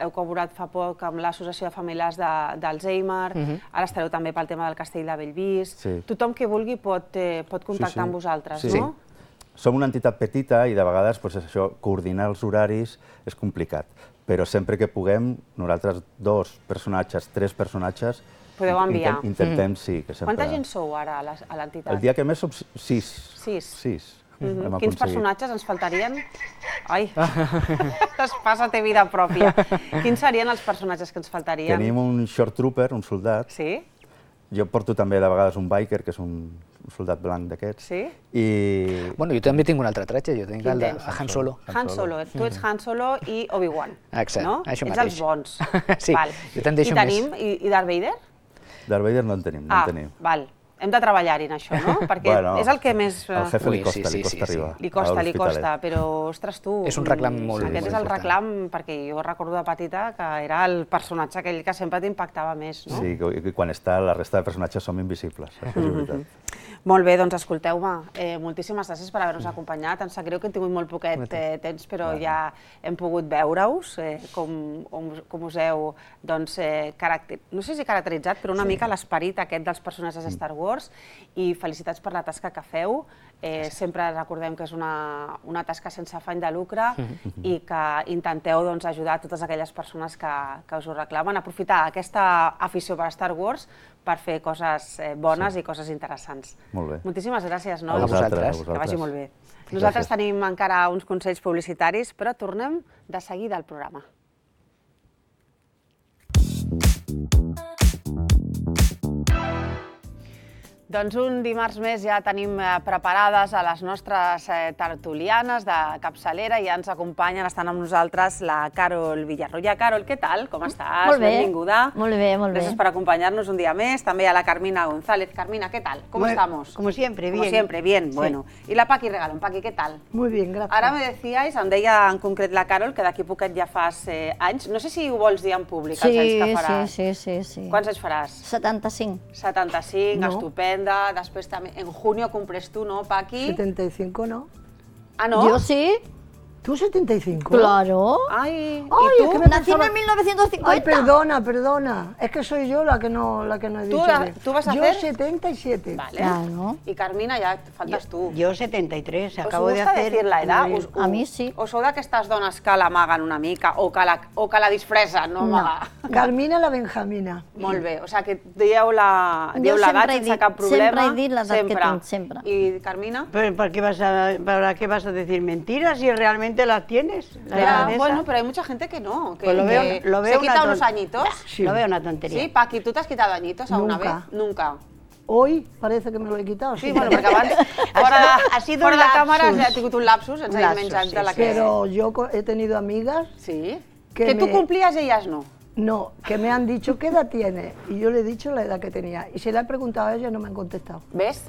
Heu col·laborat fa poc amb l'Associació de Familiars de, d'Alzheimer, ara estareu també pel tema del Castell de Bellvís. Sí. Tothom que vulgui pot, eh, pot contactar Sí, sí. amb vosaltres, Sí. no? Som una entitat petita i de vegades doncs, això, coordinar els horaris és complicat, però sempre que puguem, nosaltres dos personatges, tres personatges, Podeu enviar. Intentem, intentem sí, que sempre... Quanta gent sou ara a la- a l'entitat? El dia que més som sis. Sis. Sis. Mhm. Hem Quins aconseguit. personatges ens faltarien? Ai, es passa té vida pròpia. Quins serien els personatges que ens faltarien? Tenim un short trooper, un soldat. Sí? Jo porto també de vegades un biker, que és un, un soldat blanc d'aquests. Sí? I... Bueno, jo també tinc un altre tratge, jo tinc Quin el de tens? Han Solo. Han Solo. Tu ets Han Solo i Obi-Wan, Exacte, no? això Ets mateix. els bons. Sí, Val. jo te'n deixo I tenim, i, i Darth Vader? Darth Vader no en tenim, no Ah, en tenim. val. Hem de treballar-hi en això, no? Perquè Bueno, és el que més... eh, Al jefe Ui, li costa, sí, sí, li costa sí, sí. arribar. Li costa, a li l'Hospitalet. costa, però, ostres, tu... És un reclam molt- Aquest molt és el important. reclam, perquè jo recordo de petita que era el personatge aquell que sempre t'impactava més, no? Sí, que que quan està la resta de personatges som invisibles, això és veritat. Molt bé, doncs escolteu-me, eh, moltíssimes gràcies per haver-nos acompanyat. Em sap greu que hem tingut molt poquet eh, temps, però ja hem pogut veure-us, eh, com, com, com us heu, doncs, eh, caracter... no sé si caracteritzat, però una mica l'esperit aquest dels personatges de Star Wars, i felicitats per la tasca que feu. Eh, sempre recordem que és una, una tasca sense afany de lucre i que intenteu doncs, ajudar totes aquelles persones que, que us ho reclamen, aprofitar aquesta afició per Star Wars per fer coses eh, bones i coses interessants. Molt bé. Moltíssimes gràcies, no? A vosaltres, a Que vagi vosaltres. molt bé. Nosaltres Gràcies. tenim encara uns consells publicitaris, però tornem de seguida al programa. Doncs un dimarts més ja tenim eh, preparades a les nostres eh, tertulianes de capçalera i ja ens acompanyen, estan amb nosaltres la Carol Villarroya. Carol, què tal? Com estàs? Molt bé. Benvinguda. Molt bé, molt bé. Gràcies per acompañarnos un día más. También a la Carmina González. Carmina, ¿qué tal? ¿Cómo Muy- estamos? como siempre, Como bien. siempre, bien, Sí. bueno. Y la Paqui Regalón. Paqui, ¿qué tal? Muy bien, gracias. Ara me decíais, em deia en concret la Carol, que d'aquí poquet ja fas eh, anys. No sé si ho vols dir en públic, els anys que faràs. sí, sí, sí. Quants anys faràs? setanta-cinc. setanta-cinc, No. estupenda. Després també, en junio cumples tu, no, Paqui? setenta y cinco, ¿no? Ah, no? Jo sí. ¿Tú setenta y cinco? Claro. Ay, Ay, es que me Nací pensaba- en mil novecientos cincuenta. Ay, perdona, perdona. Es que soy yo la que no, la que no he ¿Tú, dicho la- bien. tú vas a yo hacer? setenta y siete. Vale. Claro. I Carmina, ja et faltes tu. Yo setenta y tres, Us acabo de gusta hacer... decir la edad? un- Us, A mi sí. O sou d'aquestes dones que l'amaguen una mica o que la, o que la disfressen, no No. amagar? Carmina la Benjamina. Molt bé, o sigui que dieu la- Jo dieu l'edat sempre he sense dit- cap problema. sempre he dit l'edat que tinc, sempre. I Carmina? Pero ¿para qué, vas a, ¿Para qué vas a decir mentiras si realmente las tienes? La Ya, edad esa? bueno, pero hay mucha gente que no. Que, Pues lo veo- que lo veo se una quita ton- unos añitos. Sí. Lo veo una tontería. Sí, Paqui, ¿tú te has quitado añitos alguna Nunca. vez? Nunca. Hoy parece que me lo he quitado. Sí, bueno, perquè abans, fora, ha sido fora un de càmera, lapsus. ha tingut un lapsus, ens Un ha lapsus, menjat sí, de la sí. que... Pero yo co- he tenido amigas Sí. que, Que, tú me- cumplías y ellas no. No, que me han dicho, ¿qué edad tienes? Y yo le he dicho la edad que tenía. Y se la he preguntado a ellas y no me han contestado. ¿Ves?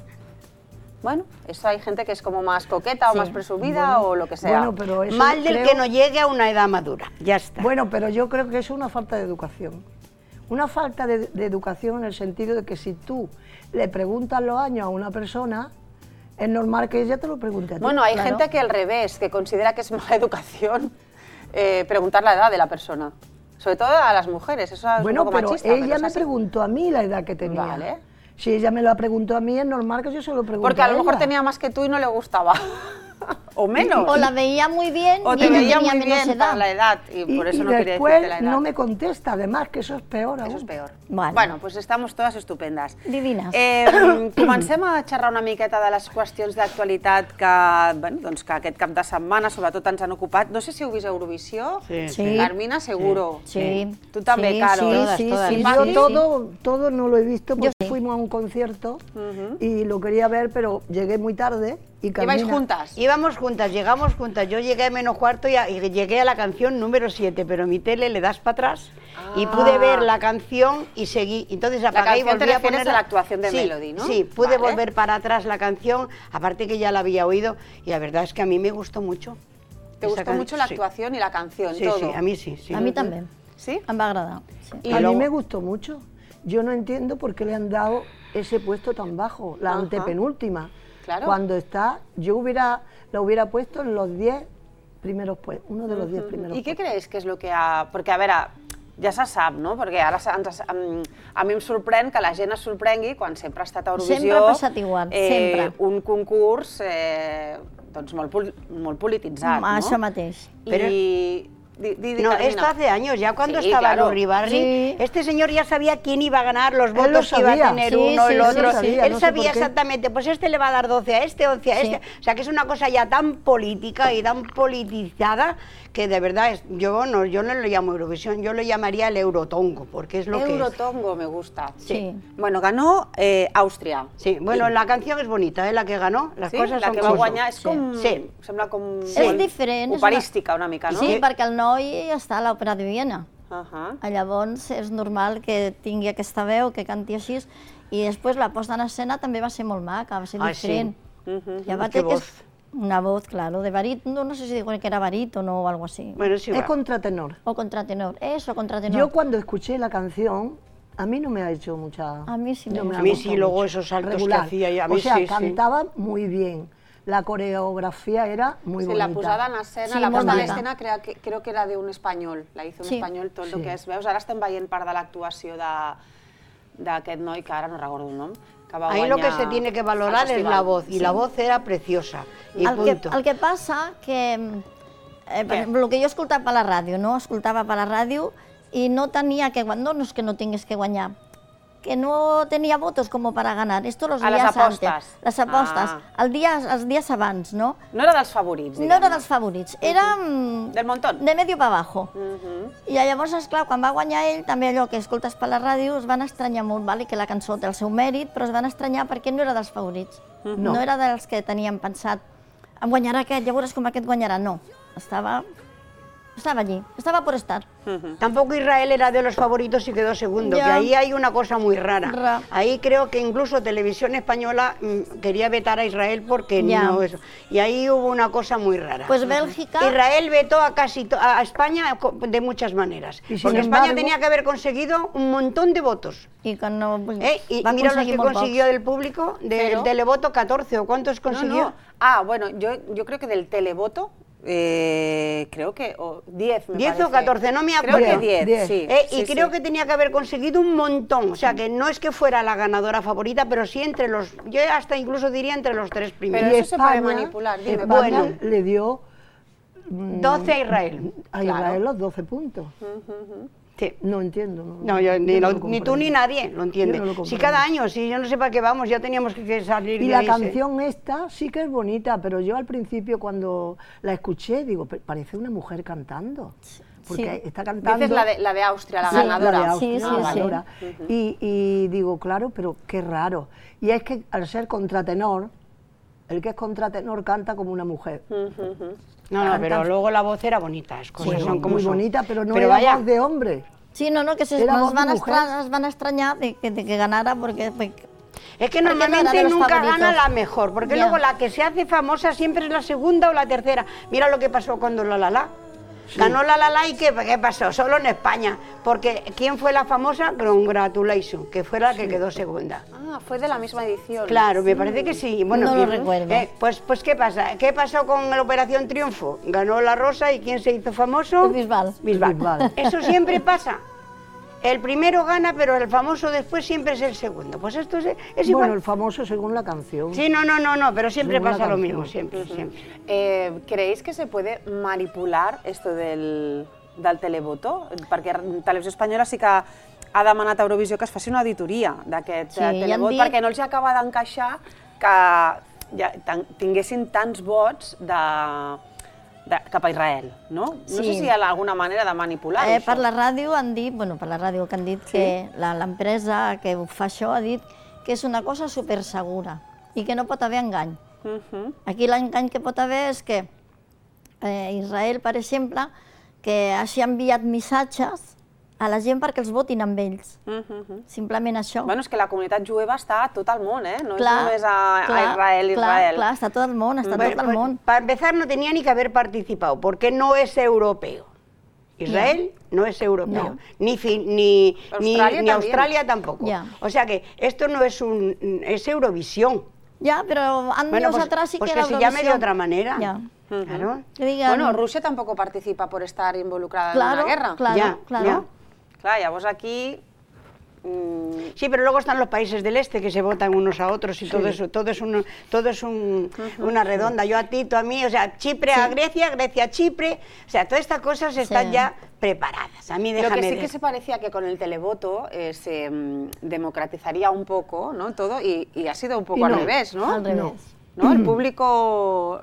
Bueno, eso hay gente que es como más coqueta Sí. o más presumida o lo que sea. Bueno, pero eso Mal del creo- que no llegue a una edad madura, ya está. Bueno, pero yo creo que eso es una falta de educación. Una falta de, de educación en el sentido de que si tú le preguntas los años a una persona, es normal que ella te lo pregunte a ti. Bueno, hay Claro. gente que al revés, que considera que es mala educación eh, preguntar la edad de la persona. Sobre todo a las mujeres, eso es Bueno, un poco pero machista. ella pero es me así. preguntó a mí la edad que tenía. Vale. Si ella me la preguntó a mí, es normal que yo se lo pregunte Porque a lo mejor ella. tenía más que tú y no le gustaba. O menos. O la veía muy bien O y te ella veía tenía muy menos bien edad. para la edad y, Y, por eso y no quería después decirte la edad. no me contesta, además, que eso es peor aún. Eso es peor. Vale. Bueno, pues estamos todas estupendes. Divines. Eh, comencem a xerrar una miqueta de les qüestions d'actualitat que, bueno, doncs que aquest cap de setmana sobretot ens han ocupat. No sé si heu vist Eurovisió. Sí, Sí. Carmina, seguro. Sí. Tú también, Sí, Caro. sí, Todas, sí, todas. sí, ¿Y sí, Paqui? Yo sí. todo, todo no lo he visto porque sí. fuimos a un concierto y lo quería ver, pero llegué muy tarde y Carmina... ¿Ibais juntas? Íbamos juntas, llegamos juntas. Yo llegué a menos cuarto y, a- y llegué a la canción número siete, pero mi tele le das para atrás y pude ver la canción y seguí. Entonces apagué y canción te volví a refieres ponerla. a la actuación de Sí, Melody, ¿no? Sí, pude Vale. volver para atrás la canción, aparte que ya la había oído y la verdad es que a mí me gustó mucho. ¿Te esa gustó can- mucho la sí. actuación y la canción, Sí, todo? sí, a mí sí. sí. A mí también. ¿Sí? Em va agradar. Sí. Y a luego- mí me gustó mucho. Yo no entiendo por qué le han dado ese puesto tan bajo, la Ajá. antepenúltima. Claro. Cuando está, yo hubiera, la hubiera puesto en los diez primeros puestos, uno de los diez primeros I què puestos. creus que és el que ha... Perquè, a veure, ja se sap, no? Perquè ara se- ens, em- a mi em sorprèn que la gent es sorprengui quan sempre ha estat a Eurovisió... Sempre ha passat igual, eh, sempre. Un concurs eh, doncs molt, pol- molt polititzat, no? Això mateix. I... Di, di, di, No, Carmina. esto hace años, ya cuando Sí, estaba claro. Lurri Sí. este señor ya sabía quién iba a ganar, los Él lo votos que iba a sabía. tener Sí, uno, sí, el sí, otro. lo sabía, Él no sé sabía por qué. exactamente, pues este le va a dar doce a este, once a Sí. este. O sea que es una cosa ya tan política y tan politizada que de verdad es, yo no, yo no lo llamo Eurovisión, yo lo llamaría el Eurotongo, porque es lo que es. Eurotongo me gusta. Sí. Bueno, ganó eh, Àustria. Sí, bueno, la canción es bonita, ¿eh? La que ganó, las Sí? cosas la son que va como son. guanyar és com... Sí. Sembla com... És diferent. és una- Operística una mica, no? Sí, perquè el noi està a l'Òpera de Viena. Uh-huh. Llavors és normal que tingui aquesta veu, que canti així, i després la posta en escena també va ser molt maca, va ser Ah, sí. diferent. Uh-huh. I aparte Qué que voz. és una voz, claro, de barítono, no sé si digo que era barítono o algo así. Bueno, sí, Es va. contratenor. O contratenor, eso, contratenor. Yo cuando escuché la canción, a mí no me ha hecho mucha... A mí sí me no gusta. A mí gustado sí, luego mucho. esos saltos Regular. que hacía, y a mí O sea, sí, sí. cantaba muy bien. La coreografía era muy Sí, bonita. la posada en escena, Sí, la molt posada en maca. escena creo que, creo que era de un espanyol, la hizo un Sí. espanyol, tot el Sí. que és, veus, ara estem veient part de l'actuació de- d'aquest noi, que ara no recordo el nom, que va Ahí guanyar lo que se tiene que el valorar es festival. la voz, y la voz era preciosa, y el, que, punto. el que passa que, eh, per Què? exemple, el que jo escoltava per la ràdio, no? Escoltava per la ràdio i no tenia que guanyar, no, no és que no tingués que guanyar, que no tenia votos como para ganar. Esto los A les días apostes. antes. Les apostes. Ah. El dia, els dies abans, no? No era dels favorits, No diguem. era dels favorits, era mm, Del montón. de medio para abajo. Mhm. I llavors, esclar, quan va guanyar ell, també allò que escoltes per la ràdio, es van estranyar molt, vale? Que la cançó té el seu mèrit, però es van estranyar perquè no era dels favorits. Mhm. No, no era dels que teníem pensat, em guanyarà aquest, ja veuràs com aquest guanyarà. No, estava, estava allí, estava por estar. Tampoco Israel era de los favoritos y quedó segundo, Ya. que ahí hay una cosa muy rara. Ra. Ahí creo que incluso Televisión Española mm, quería vetar a Israel porque Ya. no eso. Y ahí hubo una cosa muy rara. Pues Bélgica... Israel vetó a casi to- a España co- de muchas maneras, Y sin porque España embargo- tenía que haber conseguido un montón de votos. I que no... ¿eh? Y va mira los aconseguir que molt consiguió pocs. del público, del Pero- televoto catorce, ¿o cuántos No, consiguió? no. Ah, bueno, yo, yo creo que del televoto Eh, creo que diez, me diez o catorce, no me Creo acuerdo. que diez, sí. Eh, y sí, creo sí. que tenía que haber conseguido un montón, o sea que no es que fuera la ganadora favorita, pero sí entre los, yo hasta incluso diría entre los tres primeros. Pero eso se puede manipular, dime. España Bueno. le dio mm, doce a Israel. a Claro. Israel los doce puntos. Sí. No entiendo. No, No, yo, ni, yo no lo- lo ni tú comprendo. ni nadie lo entiende. Yo no lo si comprendo. cada año, si yo no sé para qué vamos, ya teníamos que, que salir Y de la ahí, sí. canción esta sí que es bonita, pero yo al principio cuando la escuché, digo, "Pe- parece una mujer cantando. Porque Sí. está cantando... Dices la de, la de Austria, la Sí, ganadora. La de Austria, Sí, la sí, sí. ganadora. Ujú. y, y digo, claro, pero qué raro. Y es que al ser contratenor, el que es contratenor canta como una mujer. No, no, Canta- pero luego la voz era bonita, las cosas Sí, son como muy son. bonita, pero no Pero era vaya, voz de hombre. Sí, no, no, que se Era nos voz van, de a mujer. extra- nos van a extrañar de que, de que ganara porque... porque Es que porque no era normalmente de los nunca favoritos. gana la mejor, porque Ya. luego la que se hace famosa siempre es la segunda o la tercera. Mira lo que pasó cuando La La La. Ganó La La La y ¿qué, qué pasó? Solo en España. Porque ¿quién fue la famosa? Congratulations, que fue la que quedó segunda. Ah, fue de la misma edición. Claro, me parece que sí. Bueno, No lo ¿quién- recuerdo. eh, pues, pues ¿qué pasa? ¿Qué pasó con la Operación Triunfo? Ganó La Rosa y ¿quién se hizo famoso? Bisbal. Bisbal. Bisbal. Eso siempre pasa. El primero gana, pero el famoso después siempre es el segundo. Pues esto es, es igual. Bueno, el famoso según la canción. Sí, no, no, no, no, pero siempre Según la pasa lo canción. mismo, siempre, siempre. Eh, ¿Creéis que se puede manipular esto del, del televoto? Perquè Televisió Espanyola sí que ha demanat a Eurovisió que es faci una auditoria d'aquest Sí, eh, i han televot, dit- perquè no els acaba d'encaixar que ja, tan- tinguessin tants vots de, de, cap a Israel, no? No Sí. sé si hi ha alguna manera de manipular Eh, això. per la ràdio han dit, bueno, per la ràdio que han dit que la- l'empresa que ho fa això ha dit que és una cosa supersegura i que no pot haver engany. Mhm. Aquí l'engany que pot haver és que eh, Israel, per exemple, que hagi enviat missatges a la gent perquè els votin amb ells. Mhm. Simplement això. Bueno, és que la comunitat jueva està a tot el món, eh? No Clar, és només a, clar, a Israel, Israel. Clar, clar, està tot el món, està Bueno, tot el pues, món. para empezar no tenía ni que haber participado, porque no es europeo. Israel no es europeo, No. ni, fin- ni, ni, Australia ni también. Australia tampoco. Ya. O sea que esto no es un es Eurovisión. Ja, però años Bueno, pues, atrás sí pues que que era se llame de Eurovisión. otra manera. Ya. Claro. Que digan... Bueno, Rusia tampoco participa por estar involucrada Claro, en una guerra. claro, Ya, claro. ya. Clar, llavors aquí... mm, Sí, pero luego están los países del este que se votan unos a otros y todo eso, todo es, un, todo es un- una redonda. Yo a ti, tú a mí, o sea, Chipre a Grecia, Grecia a Chipre, o sea, todas estas cosas están Sí. ya preparadas. A mí Lo déjame que sí de- que se parecía que con el televoto eh, se mm, democratizaría un poco, ¿no? Todo y, y ha sido un poco Y al no, revés, ¿no? Al revés. No. ¿No? El público...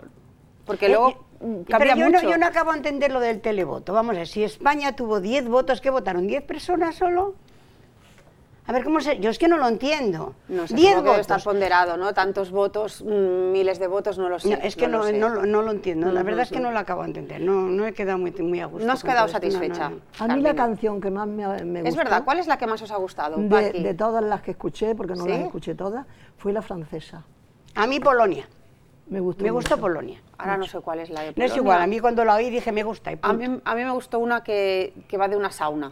Porque Eh, luego yo- mm, Pero cambia yo no, mucho. yo no acabo de entender lo del televoto. Vamos a ver, si España tuvo diez votos, ¿qué votaron? ¿diez personas solo? A ver, ¿cómo se...? Yo es que no lo entiendo. No sé, diez supongo que debe estar votos. ponderado, ¿no? Tantos votos, mm, miles de votos, no lo sé. No, es que no, lo sé. no, lo- no lo entiendo, la verdad es que Ujú. no lo acabo de entender, no, no he quedado muy, muy a gusto. No has con quedado todo esto, no, no, satisfecha. no. A mí la Carmina. canción que más me, me gustó... Es verdad, ¿cuál es la que más os ha gustado? de, Paqui? de todas las que escuché, porque no ¿Sí? las escuché todas, fue la francesa. A mí Polonia, Me gustó me gustó mucho. Polonia. Ahora no sé cuál es la de No es Polonia. igual, a mí cuando la oí dije me gusta y A punto. mí, a mí me gustó una que, que va de una sauna.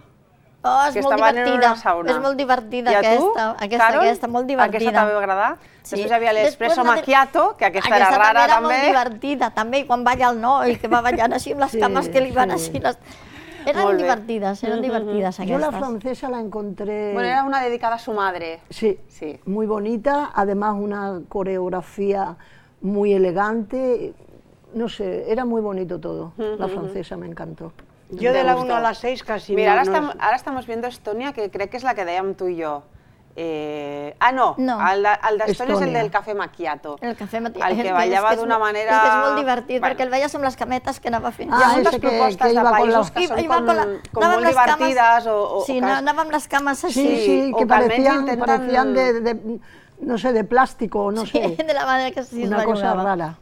Oh, és que molt estaven en divertida, una sauna. és molt divertida I a tu, aquesta, aquesta, Carol? aquesta, molt divertida. Aquesta també va agradar? Sí. Després hi havia l'espresso Després la de- macchiato, que aquesta, era Aquesta rara també era també. molt divertida, també, i quan balla el noi, que va ballant així amb les Sí, cames que li van sí. així. Les... Eren Molt bé. divertides, eren divertides Yo aquestes. la francesa la encontré... Bueno, era una dedicada a su madre. Sí, Sí. muy bonita, además una coreografía muy elegante, no sé, era muy bonito todo. La francesa me encantó. Yo de la una a la seis casi Mira, no, ahora, no estamos, ahora estamos viendo Estonia, que crec que és la que dèiem tu i jo. Eh, ah, no, No. el de- el d'Estònia és el Estònia. del cafè macchiato. El cafè matí. El que és ballava és d'una molt- manera... És que és molt divertit, Bueno. perquè el veies amb les cametes que anava fent. Hi ha Ah, moltes ese que- propostes que de iba con països la- que són Iba com, con la- com anava molt amb les cames- divertides o, o, Sí, o no, que... anava amb les cames així. Sí, sí, o que que almenys parecían, intenten- parecían de, de, no sé, de plástico, no sé, de la manera que sí es una cosa bellugava. rara.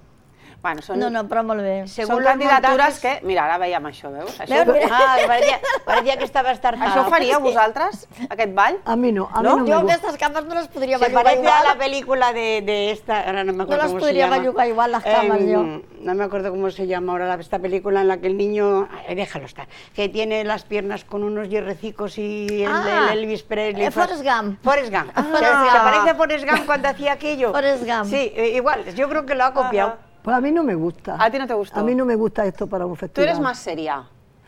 Bueno, són, No, no, però molt bé. són Según los candidatures montajes- que... Mira, ara veiem això, veus? Això, Veus, mira. Ah, que parecía, parecía que estaba estartada. això ho faríeu vosaltres, aquest ball? A mí no, a mí ¿No? no, me Jo gusta. aquestes cames no les podria Se bellugar parece a la igual. película de, de esta, ahora no me acuerdo las cómo se podría llama. bellugar igual las camas, yo. No me acuerdo cómo se llama ahora la- esta película en la que el niño, ay, déjalo estar, que tiene las piernas con unos hierrecicos y el, Ah, el Elvis Presley. eh, Forrest Gump. Forrest Gump. Ah. ¿Se, se parece a Forrest Gump cuando hacía aquello? Forrest Gump. Sí, eh, igual, yo creo que lo ha copiado. Pues a mí no me gusta. ¿A ti no te gustó? A mí no me gusta esto para un Tú festival. eres más seria.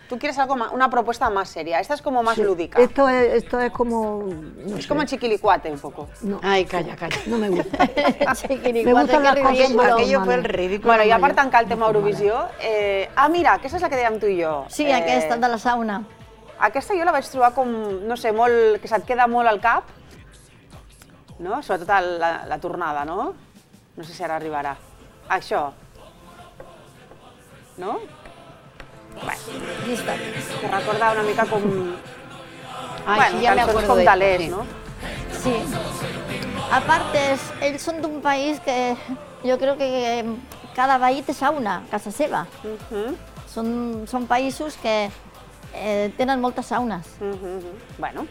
Tú quieres algo más, una propuesta más seria. Esta es como más Sí, lúdica. Esto es, esto es como... no Es sé. como chiquilicuate un poco. No. Ai, calla, calla. No me gusta. Chiquilicuate, Me gustan que las cosas ridículo. más Aquello fue el normales. ridículo. Bueno, i a mayor. part tancar el tema Eurovisió... Eh... Ah, mira, aquesta és la que dèiem tu i jo. Sí, eh... aquesta de la sauna. Aquesta jo la vaig trobar com, no sé, molt, que se't queda molt al cap, no? Sobretot el, la, la tornada, no? No sé si ara arribarà. Això. No? Bueno, Llista. que recorda una mica com... Ai, bueno, sí, ja me cançons acuerdo com de de esto, l'est, sí. no? Sí. Aparte, ells són d'un país que jo crec que cada veí té sauna a casa seva. Uh -huh. Són, són països que eh, tenen moltes saunes. Uh -huh. Bueno,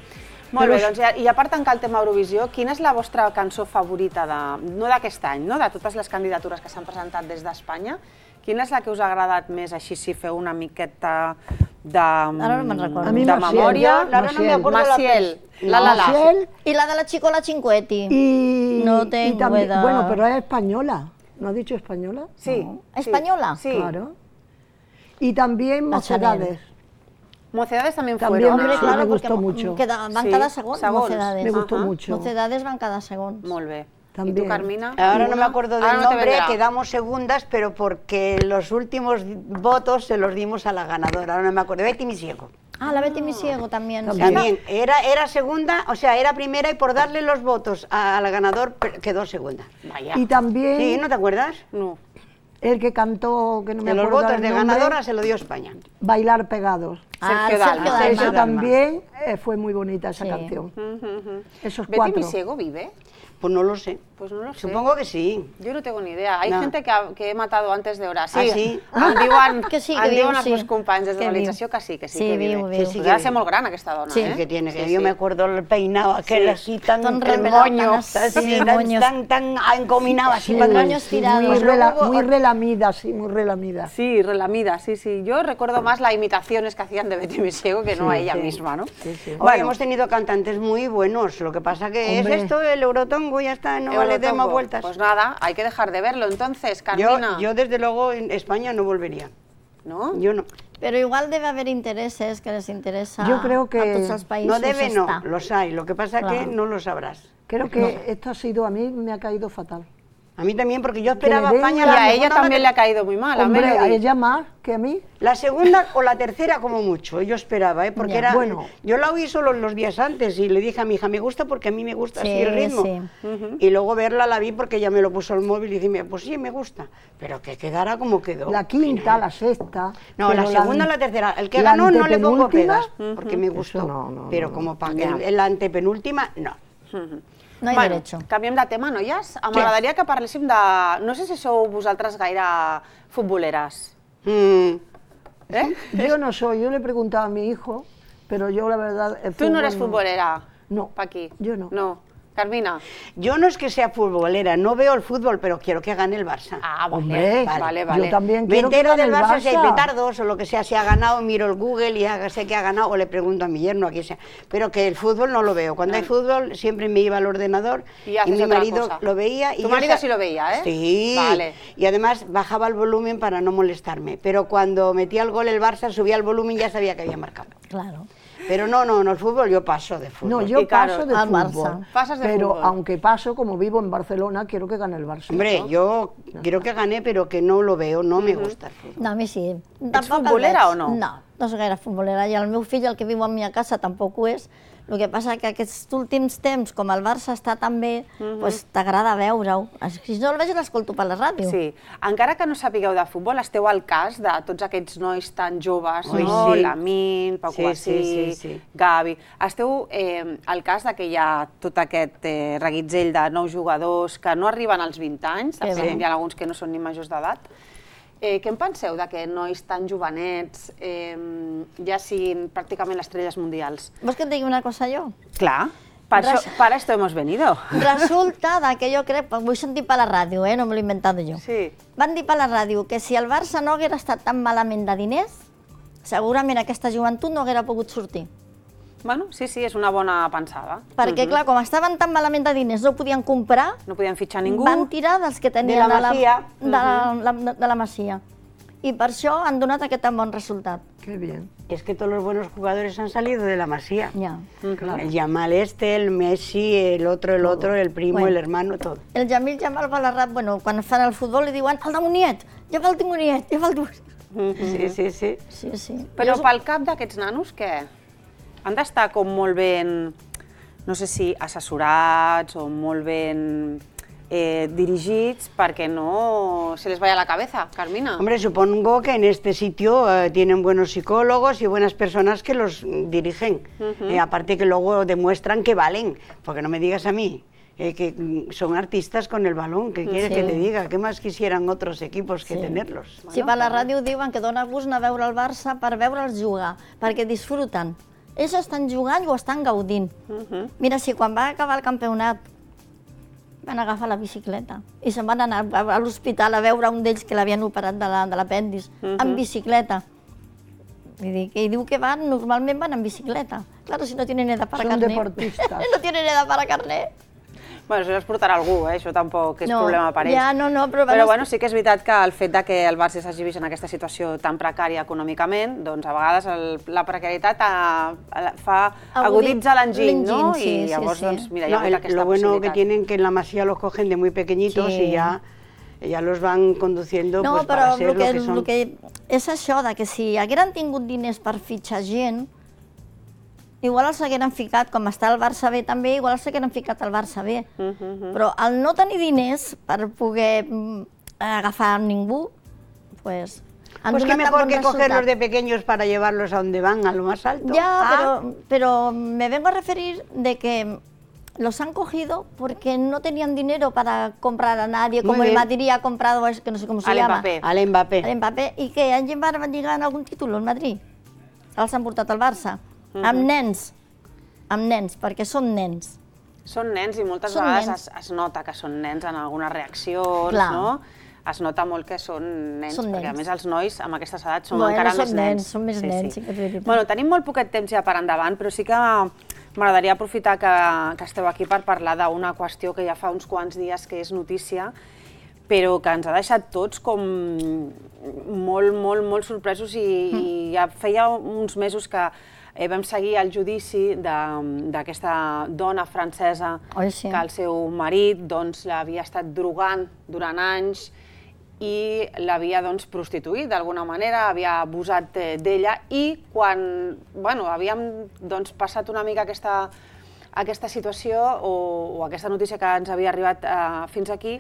molt bé, doncs, i a part tancar el tema Eurovisió, quina és la vostra cançó favorita, de, no d'aquest any, no? De totes les candidatures que s'han presentat des d'Espanya, quina és la que us ha agradat més, així si feu una miqueta de, Ara no me'n recordo. A mi de Maciel, memòria? jo, Ara no me acuerdo la Maciel, la la la. Maciel I la de la Chicola Cinquetti. y, No y tengo también, edad. bueno, pero es española. ¿No has dicho española? Sí. No. ¿Española? Sí. Claro. Y también La Chanel. Mocedades. Mocedades también También fueron. me- Ah, claro, me porque gustó mucho. Queda, van Sí, cada segons, segons. Mocedades. Me gustó Ajá. mucho. Mocedades van cada segons. Molt bé. I También. tu, Carmina? Ahora no me ¿Alguna? acuerdo Ahora del no te nombre, vendrá. quedamos segundas, pero porque los últimos votos se los dimos a la ganadora, ahora no me acuerdo, Betty Misiego. Ah, la Betty Misiego también. También. También, era, era segunda, o sea, era primera y por darle los votos a- al ganador per- quedó segunda. Vaya. Y también Sí, ¿no te acuerdas? No. el que cantó, que no me De los acuerdo votos el de nombre, ganadora se lo dio España. Bailar Pegados. Ah, Sergio Dalma. Sergio Eso Dalma. también eh, fue muy bonita esa Sí. canción. Esos Betty cuatro. Misiego vive? Pues no lo sé. Pues no lo sé. Supongo que sí. Yo no tengo ni idea. Hay No. gente que, ha, que he matado antes de hora. Sí, Ah, sí? em diuen, Que sí, que em viu, diuen els sí. meus companys des de Que l'organització que sí, que sí, Sí, que viu, vive. viu. Sí, Sí, sí, que debe ser viu. molt gran aquesta dona, Sí, eh? que tiene, que Sí, yo sí. me acuerdo el peinado aquel Sí. así tan, Tan el revelado, moño, tan así, así, el tan, moño. tan, tan encominado así Sí, para atrás. moños tirados. muy, Pues luego rela- hubo- muy relamida, sí, muy relamida. Sí, relamida, sí, sí. Yo recuerdo más las imitaciones que hacían de Betty Misiego que no a ella sí. misma, ¿no? Sí, sí. Hoy Bueno, hemos tenido cantantes muy buenos, lo que pasa que Hombre. es esto, el Eurotongo, ya está, no vale de más Eurotongo. vueltas. Pues nada, hay que dejar de verlo. Entonces, yo, Carmina, yo desde luego en España no volvería, ¿no? yo no. Pero igual debe haber intereses que les interesa Yo creo que a tots els països No debe, no, estar. los hay, lo que pasa que Claro. no lo sabrás. Creo que esto ha sido, a mí me ha caído fatal. A mí también, porque yo le esperaba a den España Y la a ella segunda, también le la, ha caído muy mal, a Hombre, a Melody. ella más que a mí. la segunda o la tercera como mucho, yo esperaba, ¿eh? porque Ya. era, Bueno. yo la oí solo los días antes y le dije a mi hija, me gusta porque a mí me gusta Sí, así el ritmo. sí. Y luego verla la vi porque ella me lo puso al móvil y dije, pues sí, me gusta, pero que quedara como quedó. La quinta, la sexta. No, la pero segunda o la tercera. El que la ganó no le pongo antepenúltima, pegas, porque me Eso gustó. no, no, pero no, como para Ya. en la antepenúltima, no. No hay bueno, derecho. canviem de tema, noies. M'agradaria que parléssim de... No sé si sou vosaltres gaire futboleres. Mm. ¿Eh? Yo no soy, yo le he preguntado a mi hijo, pero yo la verdad... el Tú no eres fútbol futbolera, No, Paqui. yo no. No. Carmina. Yo no es que sea futbolera, no veo el fútbol, pero quiero que gane el Barça. Ah, vale, Hombre, vale, vale. yo también Me quiero que entero gane del el Barça, si hay Barça. petardos o lo que sea, si ha ganado, miro el Google y ya sé que ha ganado, o le pregunto a mi yerno, a quien sea. Pero que el fútbol no lo veo. Cuando hay fútbol siempre me iba al ordenador Y y, haces mi otra marido cosa. lo veía. Y Tu yo marido sa- sí lo veía, ¿eh? Sí. Vale. Y además bajaba el volumen para no molestarme. Pero cuando metía el gol el Barça, subía el volumen y ya sabía que había marcado. Claro. Pero no, no, no, el fútbol yo paso de fútbol. No, yo Y claro, paso de al fútbol. Barça. Pasas de pero fútbol. aunque paso, como vivo en Barcelona, quiero que gane el Barça. Hombre, ¿no? yo quiero que gane, pero que no lo veo, no me gusta el fútbol. No, a mi sí. Ets Tampoc el futbolera veig. o no? No, no soc gaire futbolera. I el meu fill, el que viu a mi a casa, tampoc ho és. El que passa que aquests últims temps, com el Barça està tan bé, pues, t'agrada veure-ho. Si no el veig, l'escolto per la ràdio. Sí. Encara que no sapigueu de futbol, esteu al cas de tots aquests nois tan joves, Oi, no? sí. Lamine, Pau Sí, Cubarsí, sí, sí, sí. Gavi. Esteu eh, al cas de que hi ha tot aquest eh, reguitzell de nous jugadors que no arriben als vint anys, de Que fet bé. hi ha alguns que no són ni majors d'edat. Eh, què en penseu de que nois tan jovenets eh, ja siguin pràcticament les estrelles mundials? Vols que et digui una cosa jo? Clar, per Res- això, para esto hemos venido. Resulta de que jo crec, ho he sentit per la ràdio, eh? No me l'he inventat jo. Sí. Van dir per la ràdio que si el Barça no haguera estat tan malament de diners, segurament aquesta joventut no haguera pogut sortir. Bueno, sí, sí, és una bona pensada. Perquè, clar, com estaven tan malament de diners, no podien comprar... No podien fitxar ningú. Van tirar dels que tenien De la Masia. de la, de la Masia. I per això han donat aquest tan bon resultat. Qué bien. Es que todos los buenos jugadores han salido de la Masía. Ya. Claro. El Yamal este, el Messi, el otro, el otro, el primo, Bueno. el hermano, todo. El Jamil Jamal Balarrat, bueno, quan fan el futbol li diuen el demoniet, lleva el demoniet, lleva el demoniet. Sí, sí, sí. Sí, sí. Però pel cap d'aquests nanos, què? Han d'estar com molt ben, no sé si assessorats o molt ben eh, dirigits perquè no se les vaya a la cabeza, Carmina. Hombre, supongo que en este sitio eh, tienen buenos psicólogos y buenas personas que los dirigen. Ujú. Eh, aparte que luego demuestran que valen, porque no me digas a mí. eh, que mm, son artistas con el balón, ¿qué quieres Sí. que te diga? ¿Qué más quisieran otros equipos que Sí. tenerlos? Si per la ràdio diuen que dona gust anar a veure el Barça per veure'ls jugar, perquè disfruten. Ells estan jugant i ho estan gaudint. Mira, si quan va acabar el campionat van agafar la bicicleta i se'n van anar a a l'hospital a veure un d'ells que l'havien operat de la- de l'apèndix, Mhm. en bicicleta. Vull dir, que diu que van, normalment van en bicicleta. Claro, si no tienen edad para Son carnet. deportistas. No tienen edad para carnet. Bueno, això es portarà algú, eh? Això tampoc és No, problema per ells. ja, no, no, però van Però est- bueno, sí que és veritat que el fet de que el Barça s'hagi vist en aquesta situació tan precària econòmicament, doncs a vegades el, la precarietat a, a, fa aguditza l'enginy, no? sí, I llavors, sí, sí. doncs, mira, hi No, ha hagut el- aquesta lo bueno que possibilitat. tienen que en la Masía los cogen de muy pequeñitos Sí. y ya, ya los van conduciendo No, pues, para però ser el lo que, que son. el que és això, de que si hagueren tingut diners per fitxar gent, igual els hagueren ficat, com està el Barça B també, igual els hagueren ficat al Barça B. Però al no tenir diners per poder mm, agafar ningú, pues... han Pues qué donat tan mejor bon que cogerlos resultat. de pequeños para llevarlos a donde van, a lo más alto. Ya, Ah, pero, pero me vengo a referir de que los han cogido porque no tenían dinero para comprar a nadie, Muy como el bien. Madrid ha comprado, a ese que no sé cómo se Al llama. Mbappé. Al Mbappé. Al Mbappé, i que han llevat, van llegar en algun títol al Madrid. Els han portat al Barça. Amb nens, amb nens, perquè són nens. Són nens i moltes Són vegades nens. es, es nota que són nens en algunes reaccions, Clar. no? Es nota molt que són nens, Són perquè a nens. més els nois amb aquestes edats són Bueno, encara són més nens, nens. són més nens, sí que és veritat. Bueno, tenim molt poquet temps ja per endavant, però sí que m'agradaria aprofitar que, que esteu aquí per parlar d'una qüestió que ja fa uns quants dies que és notícia, però que ens ha deixat tots com molt, molt, molt sorpresos i, i ja feia uns mesos que eh, vam seguir el judici de- d'aquesta dona francesa Oi, sí. que el seu marit doncs, l'havia estat drogant durant anys i l'havia doncs, prostituït d'alguna manera, havia abusat eh, d'ella i quan bueno, havíem doncs, passat una mica aquesta, aquesta situació o, o aquesta notícia que ens havia arribat eh, fins aquí,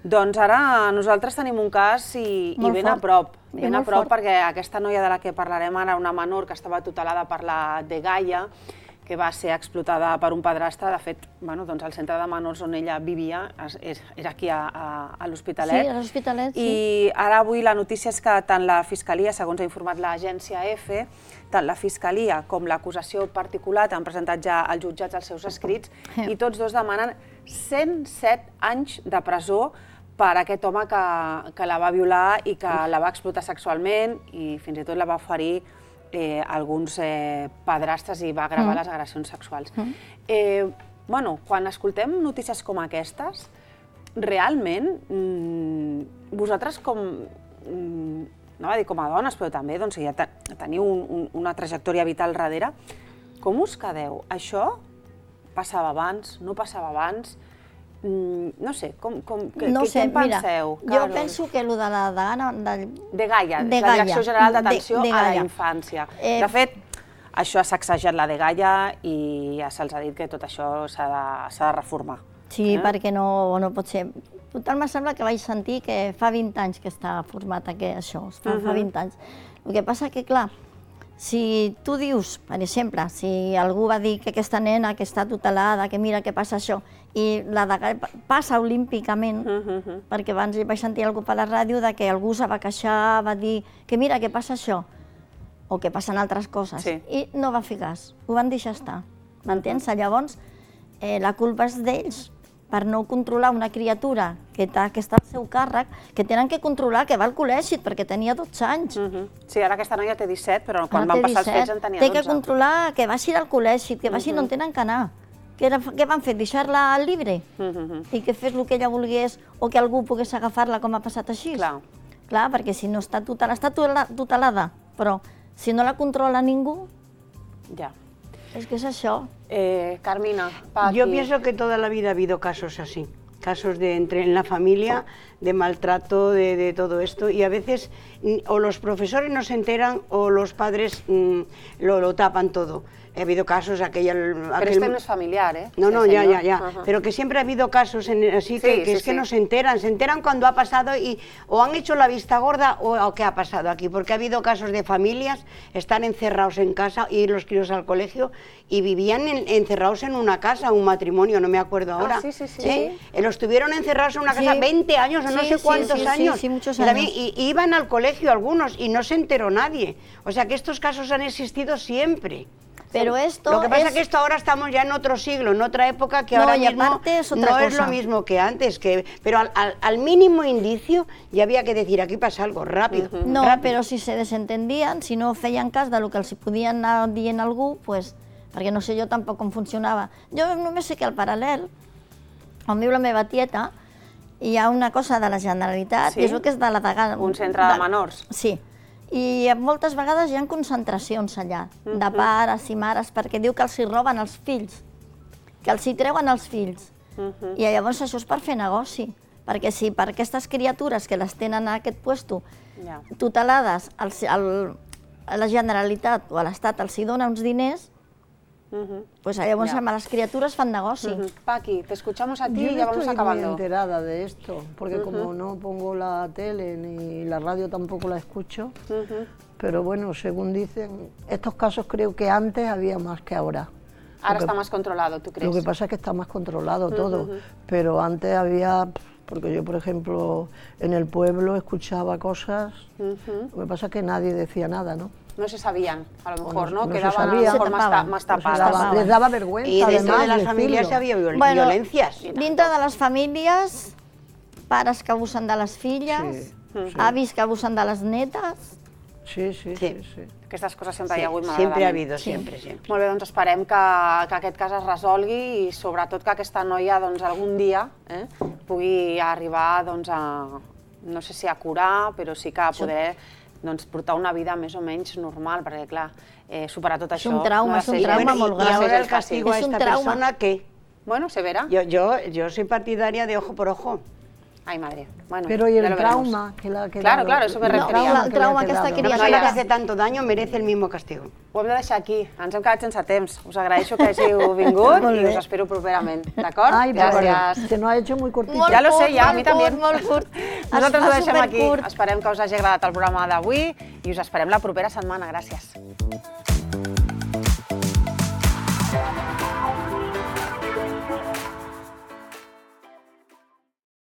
doncs ara nosaltres tenim un cas i, i Molt ben fort. a prop, I ben a molt prop fort. perquè aquesta noia de la que parlarem ara, una menor que estava tutelada per la Dgaia, que va ser explotada per un padrastre, de fet, bueno, doncs el centre de menors on ella vivia es- és- era aquí a, a, a l'Hospitalet. Sí, a l'Hospitalet, sí. I ara avui la notícia és que tant la Fiscalia, segons ha informat l'agència EFE, tant la Fiscalia com l'acusació particular han presentat ja als jutjats els seus escrits i tots dos demanen cent set anys de presó per aquest home que, que la va violar i que la va explotar sexualment i fins i tot la va oferir eh, alguns eh, padrastres i va gravar Mm. les agressions sexuals. Mm. Eh, bueno, quan escoltem notícies com aquestes, realment, mm, vosaltres com, mm, no va dir com a dones, però també doncs, ja te, teniu un, un, una trajectòria vital darrere, com us quedeu? Això passava abans, no passava abans? Mm, no sé, com, com, que, No que, sé, què en mira, penseu? jo Carol? penso que el de la degana... De, De Gaia, de la Direcció Gaia, General de- d'Atenció de a la Gaia. Infància. Eh, De fet, això ha sacsejat la de Gaia i ja se'ls ha dit que tot això s'ha de, s'ha de reformar. Sí, Eh? perquè no, no pot ser. Total, me sembla que vaig sentir que fa vint anys que està format aquest, això, fa, fa Mhm. vint anys. El que passa que, clar, si tu dius, per exemple, si algú va dir que aquesta nena que està tutelada, que mira què passa això, i la de passa olímpicament, perquè abans vaig sentir algú per la ràdio de que algú se va queixar, va dir que mira què passa això, o que passen altres coses, Sí. i no va fer cas, ho van deixar estar, m'entens? Llavors, eh, la culpa és d'ells, per no controlar una criatura que està al seu càrrec, que tenen que controlar que va al col·legi, perquè tenia dotze anys. Sí, ara aquesta noia té disset, però quan van passar els fets en tenia dotze. Té que controlar que vagi al col·legi, que vagi on tenen que anar. Què van fer? Deixar-la al llibre? I que fes el que ella volgués o que algú pogués agafar-la com ha passat així? Clar. Clar, perquè si no està tutelada, està tutelada, però si no la controla ningú... Ya. Es que es eso. Eh, Carmina, Paqui. Yo pienso que toda la vida ha habido casos así, casos de entre en la familia, de maltrato, de, de todo esto, y a veces o los profesores no se enteran o los padres mmm, lo, lo tapan todo. Ha habido casos, aquella... Pero aquel... este no es familiar, ¿eh? No, no, Ese ya, no. ya, ya. Ajá. Pero que siempre ha habido casos en, así Sí, que, que sí, es que sí. no se enteran. Se enteran cuando ha pasado y o han hecho la vista gorda o, o qué ha pasado aquí. Porque ha habido casos de familias, están encerrados en casa, ir los críos al colegio y vivían en, encerrados en una casa, un matrimonio, no me acuerdo ahora. Ah, sí, sí, sí. ¿Eh? Eh, Los tuvieron encerrados en una Sí. casa veinte años o no Sí, sé sí, cuántos sí, sí, años. sí, muchos Y también- años. y- y iban al colegio algunos y no se enteró nadie. O sea que estos casos han existido siempre. Pero esto Lo que pasa es- es que esto ahora estamos ya en otro siglo, en otra época que No, ahora y mismo aparte es otra no es cosa. lo mismo que antes, que, pero al, al- al mínimo indicio ya había que decir, aquí pasa algo, rápido. No, rápido. però si se desentendien, si no feien cas del que els podien anar dient algú, pues, perquè no sé jo tampoc com funcionava. Jo només sé que al paral·lel, on viu la meva tieta, hi ha una cosa de la Generalitat, Sí? i és el que és de la degana... Un centre de menors. Sí, i moltes vegades hi ha concentracions allà, de pares i mares, perquè diu que els hi roben els fills, que els hi treuen els fills. I llavors això és per fer negoci, perquè si per aquestes criatures que les tenen a aquest puesto Ja. tutelades, els, el, a la Generalitat o a l'Estat els hi dona uns diners, pues llavors Ya. amb les criatures fan negoci. Ujú. Paqui, te escuchamos a ti Yo y no ya vamos estoy muy acabando. enterada de esto, porque Ujú. como no pongo la tele ni la radio tampoco la escucho, pero bueno, según dicen, estos casos creo que antes había más que ahora. Ahora Lo que- está más controlado, ¿tú crees? Lo que pasa es que está más controlado todo, Ujú. pero antes había, porque yo por ejemplo en el pueblo escuchaba cosas, Ujú. lo que pasa es que nadie decía nada, ¿no? No se sabían, a lo mejor, no- ¿no? no se Quedaban a lo sabía. mejor Se más, ta- tapaban, más no se tapadas. daba- les daba vergüenza, Y dentro además, de las decirlo. familias había viol- Bueno, violencias. dintre de les famílies, pares que abusen de les filles, Sí, sí. avis que abusen de les netes... Sí, sí, sí, sí. Aquestes coses sempre Sí, hi ha hagut, sempre malauradament. ha habido, siempre, siempre. Molt bé, doncs esperem que, que aquest cas es resolgui i sobretot que aquesta noia doncs, algun dia eh, pugui arribar doncs, a, no sé si a curar, però sí que a poder doncs, portar una vida més o menys normal, perquè clar, eh, superar tot És això... un trauma, no ha de és un ser- trauma i- molt i gran. Y no ahora és el castigo a Es un esta trauma. persona, ¿qué? Bueno, se verá. Yo, yo, yo soy partidaria de ojo por ojo. Ay, madre. Bueno, Pero y ya el lo veremos. trauma que la ha quedado... Claro, claro, eso me el refería. trauma El que le ha trauma que quedado. està Una criada. persona que hace tanto daño merece el mismo castigo. Ho hem de deixar aquí. Ens hem quedat sense temps. Us agraeixo que hàgiu vingut Molt i bé. us espero properament. D'acord? Ay, pero Gràcies. se nos ha hecho muy cortito. Molt Ja lo sé, curt, ja, a molt mi també. curt, molt curt. Nosaltres Es ho fa deixem aquí. supercurt. Esperem que us hagi agradat el programa d'avui i us esperem la propera setmana. Gràcies.